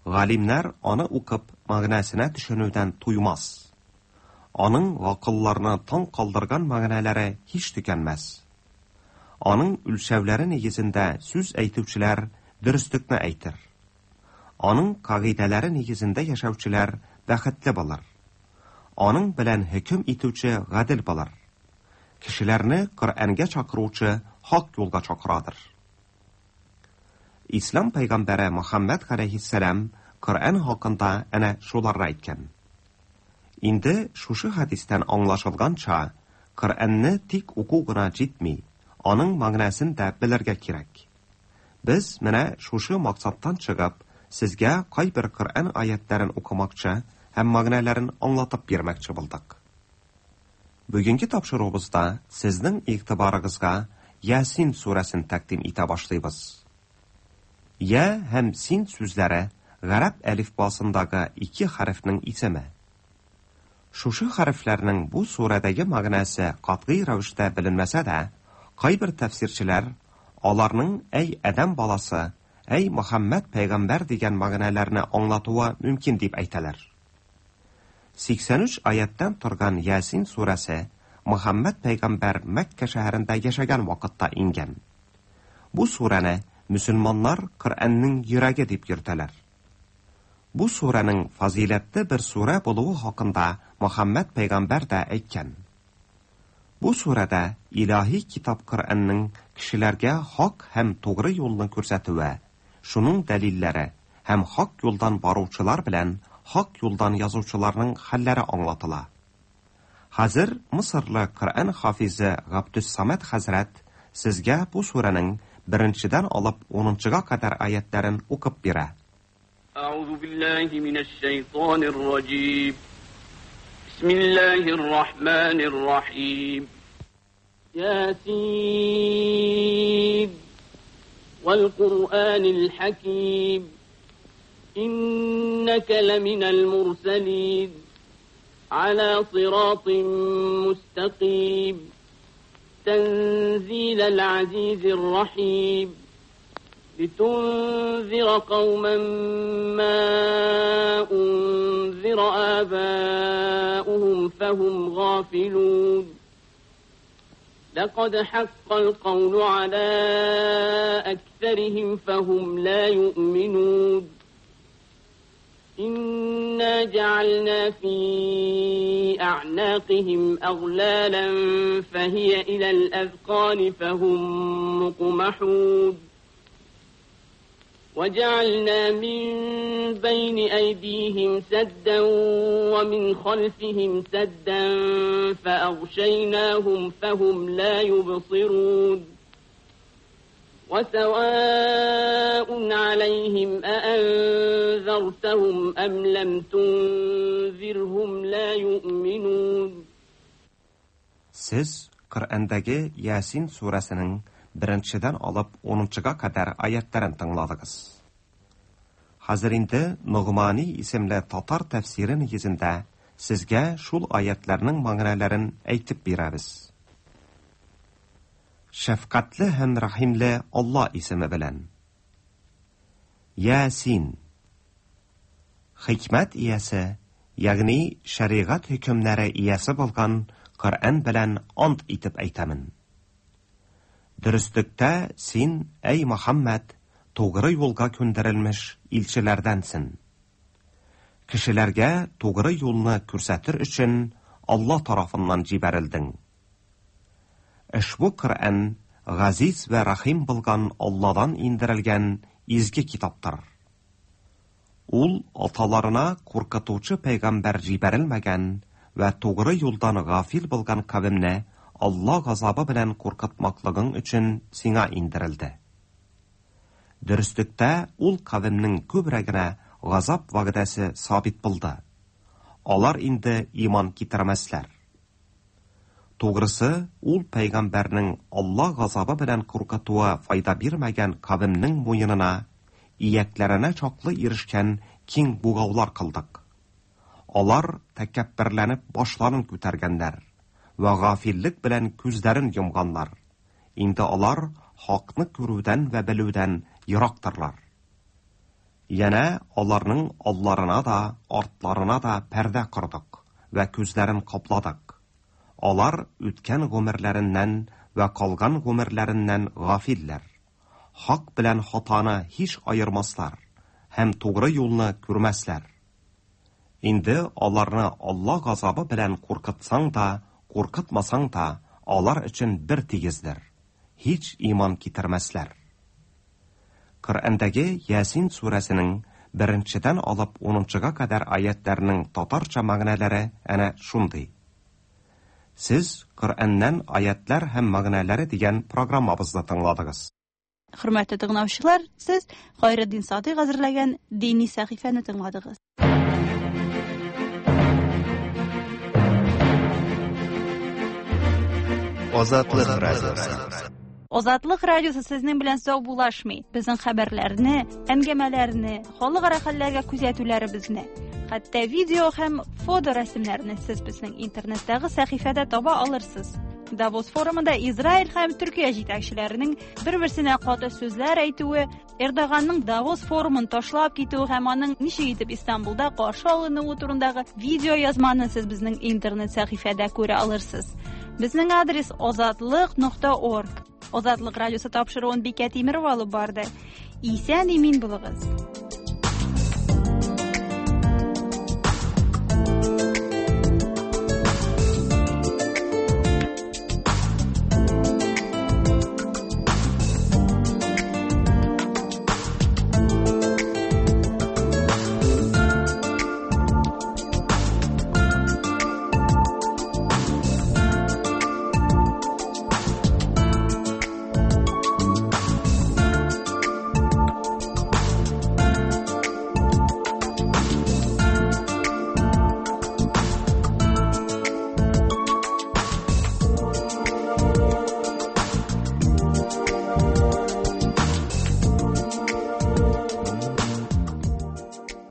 Галимнәр аны укып мәгънәсенә төшенүдән туймас. Аның гакылларны таң калдырган мәгънәләре һич төкәнмәс. Аның үлчәүләре нигезендә сүз әйтүчеләр дөреслекне әйтер. Аның кагыйдәләре нигезендә яшәүчеләр бәхетле булыр. Аның белән хөкем итүче гадел булыр. Кешеләрне Коръәнгә чакыручы хак юлга чакырадыр. Ислам пәйгамбәре Мухаммад галәйһиссәлам Коръән хакында әнә шуларны әйткән. Инде шушы хәдистән аңлашылганча, Коръәнне тик уку гына җитми, аның мәгънәсен дә белергә кирәк. Без менә шушы максаттан чыгып, сезгә кайбер Коръән аятларын укымакчы һәм мәгънәләрен аңлатып бирмәкче булдык. Бүгенге тапшыруыбызда сезнең игътибарыгызга Ясин сүрәсен тәкъдим итә башлыйбыз. Я һәм син сүзләре гарәп әлифбасындагы ике хәрефнең исеме. Шушы хәрефләрнең бу сүрәдәге мәгънәсе катгый рәвештә беленмәсә дә, кайбер тәфсирчеләр аларның әй адәм баласы Әй Мөхәммәд пәйгамбәр дигән мәгънәләрне аңлатуы мөмкин дип әйтәләр. Сиксән өч аяттан торган Ясин сүрәсе Мөхәммәд пәйгамбәр Мәккә шәһәрендә яшәгән вакытта иңгән. Бу сүрәне мөселманнар Коръәннең йөрәге дип йөртәләр. Бу сүрәнең фазыйләтле бер сүрә булуы хакында Мөхәммәд пәйгамбәр дә әйткән. Бу сүрәдә илаһи китап Коръәннең кешеләргә хак һәм тугры юлны күрсәтүе, шуның дәлилләре һәм хак юлдан баручылар белән хак юлдан язучыларның хәлләре аңлатыла. Хәзер Мисырлы Коръән хафизе Габдус-Самад хәзрәт сезгә бу сүрәнең беренчедән алып унынчыга кадәр аятларын укып бирә. أعوذ بالله من الشيطان الرجيم. بسم الله الرحمن الرحيم. ياسين والقرآن الحكيم إنك لمن المرسلين على صراط مستقيم تنزيل العزيز الرحيم لتنذر قوما ما أنذر آباؤهم فهم غافلون لقد حق القول على أكثرهم فهم لا يؤمنون إنا جعلنا في أعناقهم أغلالا فهي إلى الأذقان فهم مقمحون وجعلنا من بين أيديهم سدا ومن خلفهم سدا فأغشيناهم فهم لا يبصرون وسواء عليهم أأنذرتهم أم لم تنذرهم لا يؤمنون. Siz Коръәндәге Ясин сүрәсенең беренчедән алып унынчыга кадәр аятларын тыңладыгыз. Хәзер инде Ногмани исемле татар тәфсире нигезендә сезгә шул аятларның мәгънәләрен әйтеп бирәбез. Шәфкатьле һәм рәхимле Алла исеме белән. Ясин. Хикмәт иясе, ягъни шәригать хөкемнәре иясе булган Коръән белән ант итеп әйтәмен. Дөреслектә син, әй Мөхәммәд, тугры юлга күндерелмеш илчеләрдәнсең. Кешеләргә тугры юлны күрсәтер өчен Алла тарафыннан җибәрелдең. Ошбу Коръән газиз вә рәхим булган Алладан индерелгән изге китаптыр. Ул аталарына куркытучы пәйгамбәр җибәрелмәгән вә тугры юлдан гафил булган кавемне Алла газабы белән куркытмаклыгың өчен сиңа индерелде. Дөреслектә ул кавемнең күбрәгенә газап вәгъдәсе сабит булды. Алар инде иман китермәсләр. Тугрысы, ул пәйгамбәрнең Алла газабы белән куркытуы файда бирмәгән кавемнең муенына, иякләренә чаклы ирешкән киң бугаулар кылдык. Алар тәкәбберләнеп башларын күтәргәннәр вә гафиллек белән күзләрен йомганнар. Инде алар хакны күрүдән вә белүдән ерактырлар. Янә аларның алларына да, артларына да пәрдә кордык вә күзләрен капладык. Алар үткән гомерләреннән вә калган гомерләреннән гафилләр. Хак белән хатаны һич аермаслар һәм тугры юлны күрмәсләр. Инде аларны Алла газабы белән куркытсаң да, куркытмасаң да, алар өчен бер тигездер. Һич иман китермәсләр. Коръәндәге Ясин сүрәсенең беренчедән алып унынчыга кадәр аятларының татарча мәгънәләре әнә шундый. Сез Коръәннән аятлар һәм мәгънәләре дигән программабызны тыңладыгыз. Хөрмәтле тыңлаучылар, сез Хайретдин Садыйк әзерләгән дини сәхифәне тыңладыгыз. Азатлык радиосы. Азатлык радиосы сезнең белән саубуллашмый. Безнең хәбәрләрне, әңгәмәләрне, халыкара хәлләргә күзәтүләребезне, хәтта видео һәм фоторәсемнәрне сез безнең интернеттагы сәхифәдә таба алырсыз. Давос форумында Израиль һәм Төркия җитәкчеләренең бер-берсенә каты сүзләр әйтүе, Эрдоганның Давос форумын ташлап китүе һәм аның ничек итеп Истанбулда каршы алынуы турындагы видеоязманы сез безнең интернет сәхифәдә күрә алырсыз. Безнең адрес озатлык нокта орг. Озатлык радиосы тапшыруын Бикә Тимерова алып барды. Исән имин булыгыз.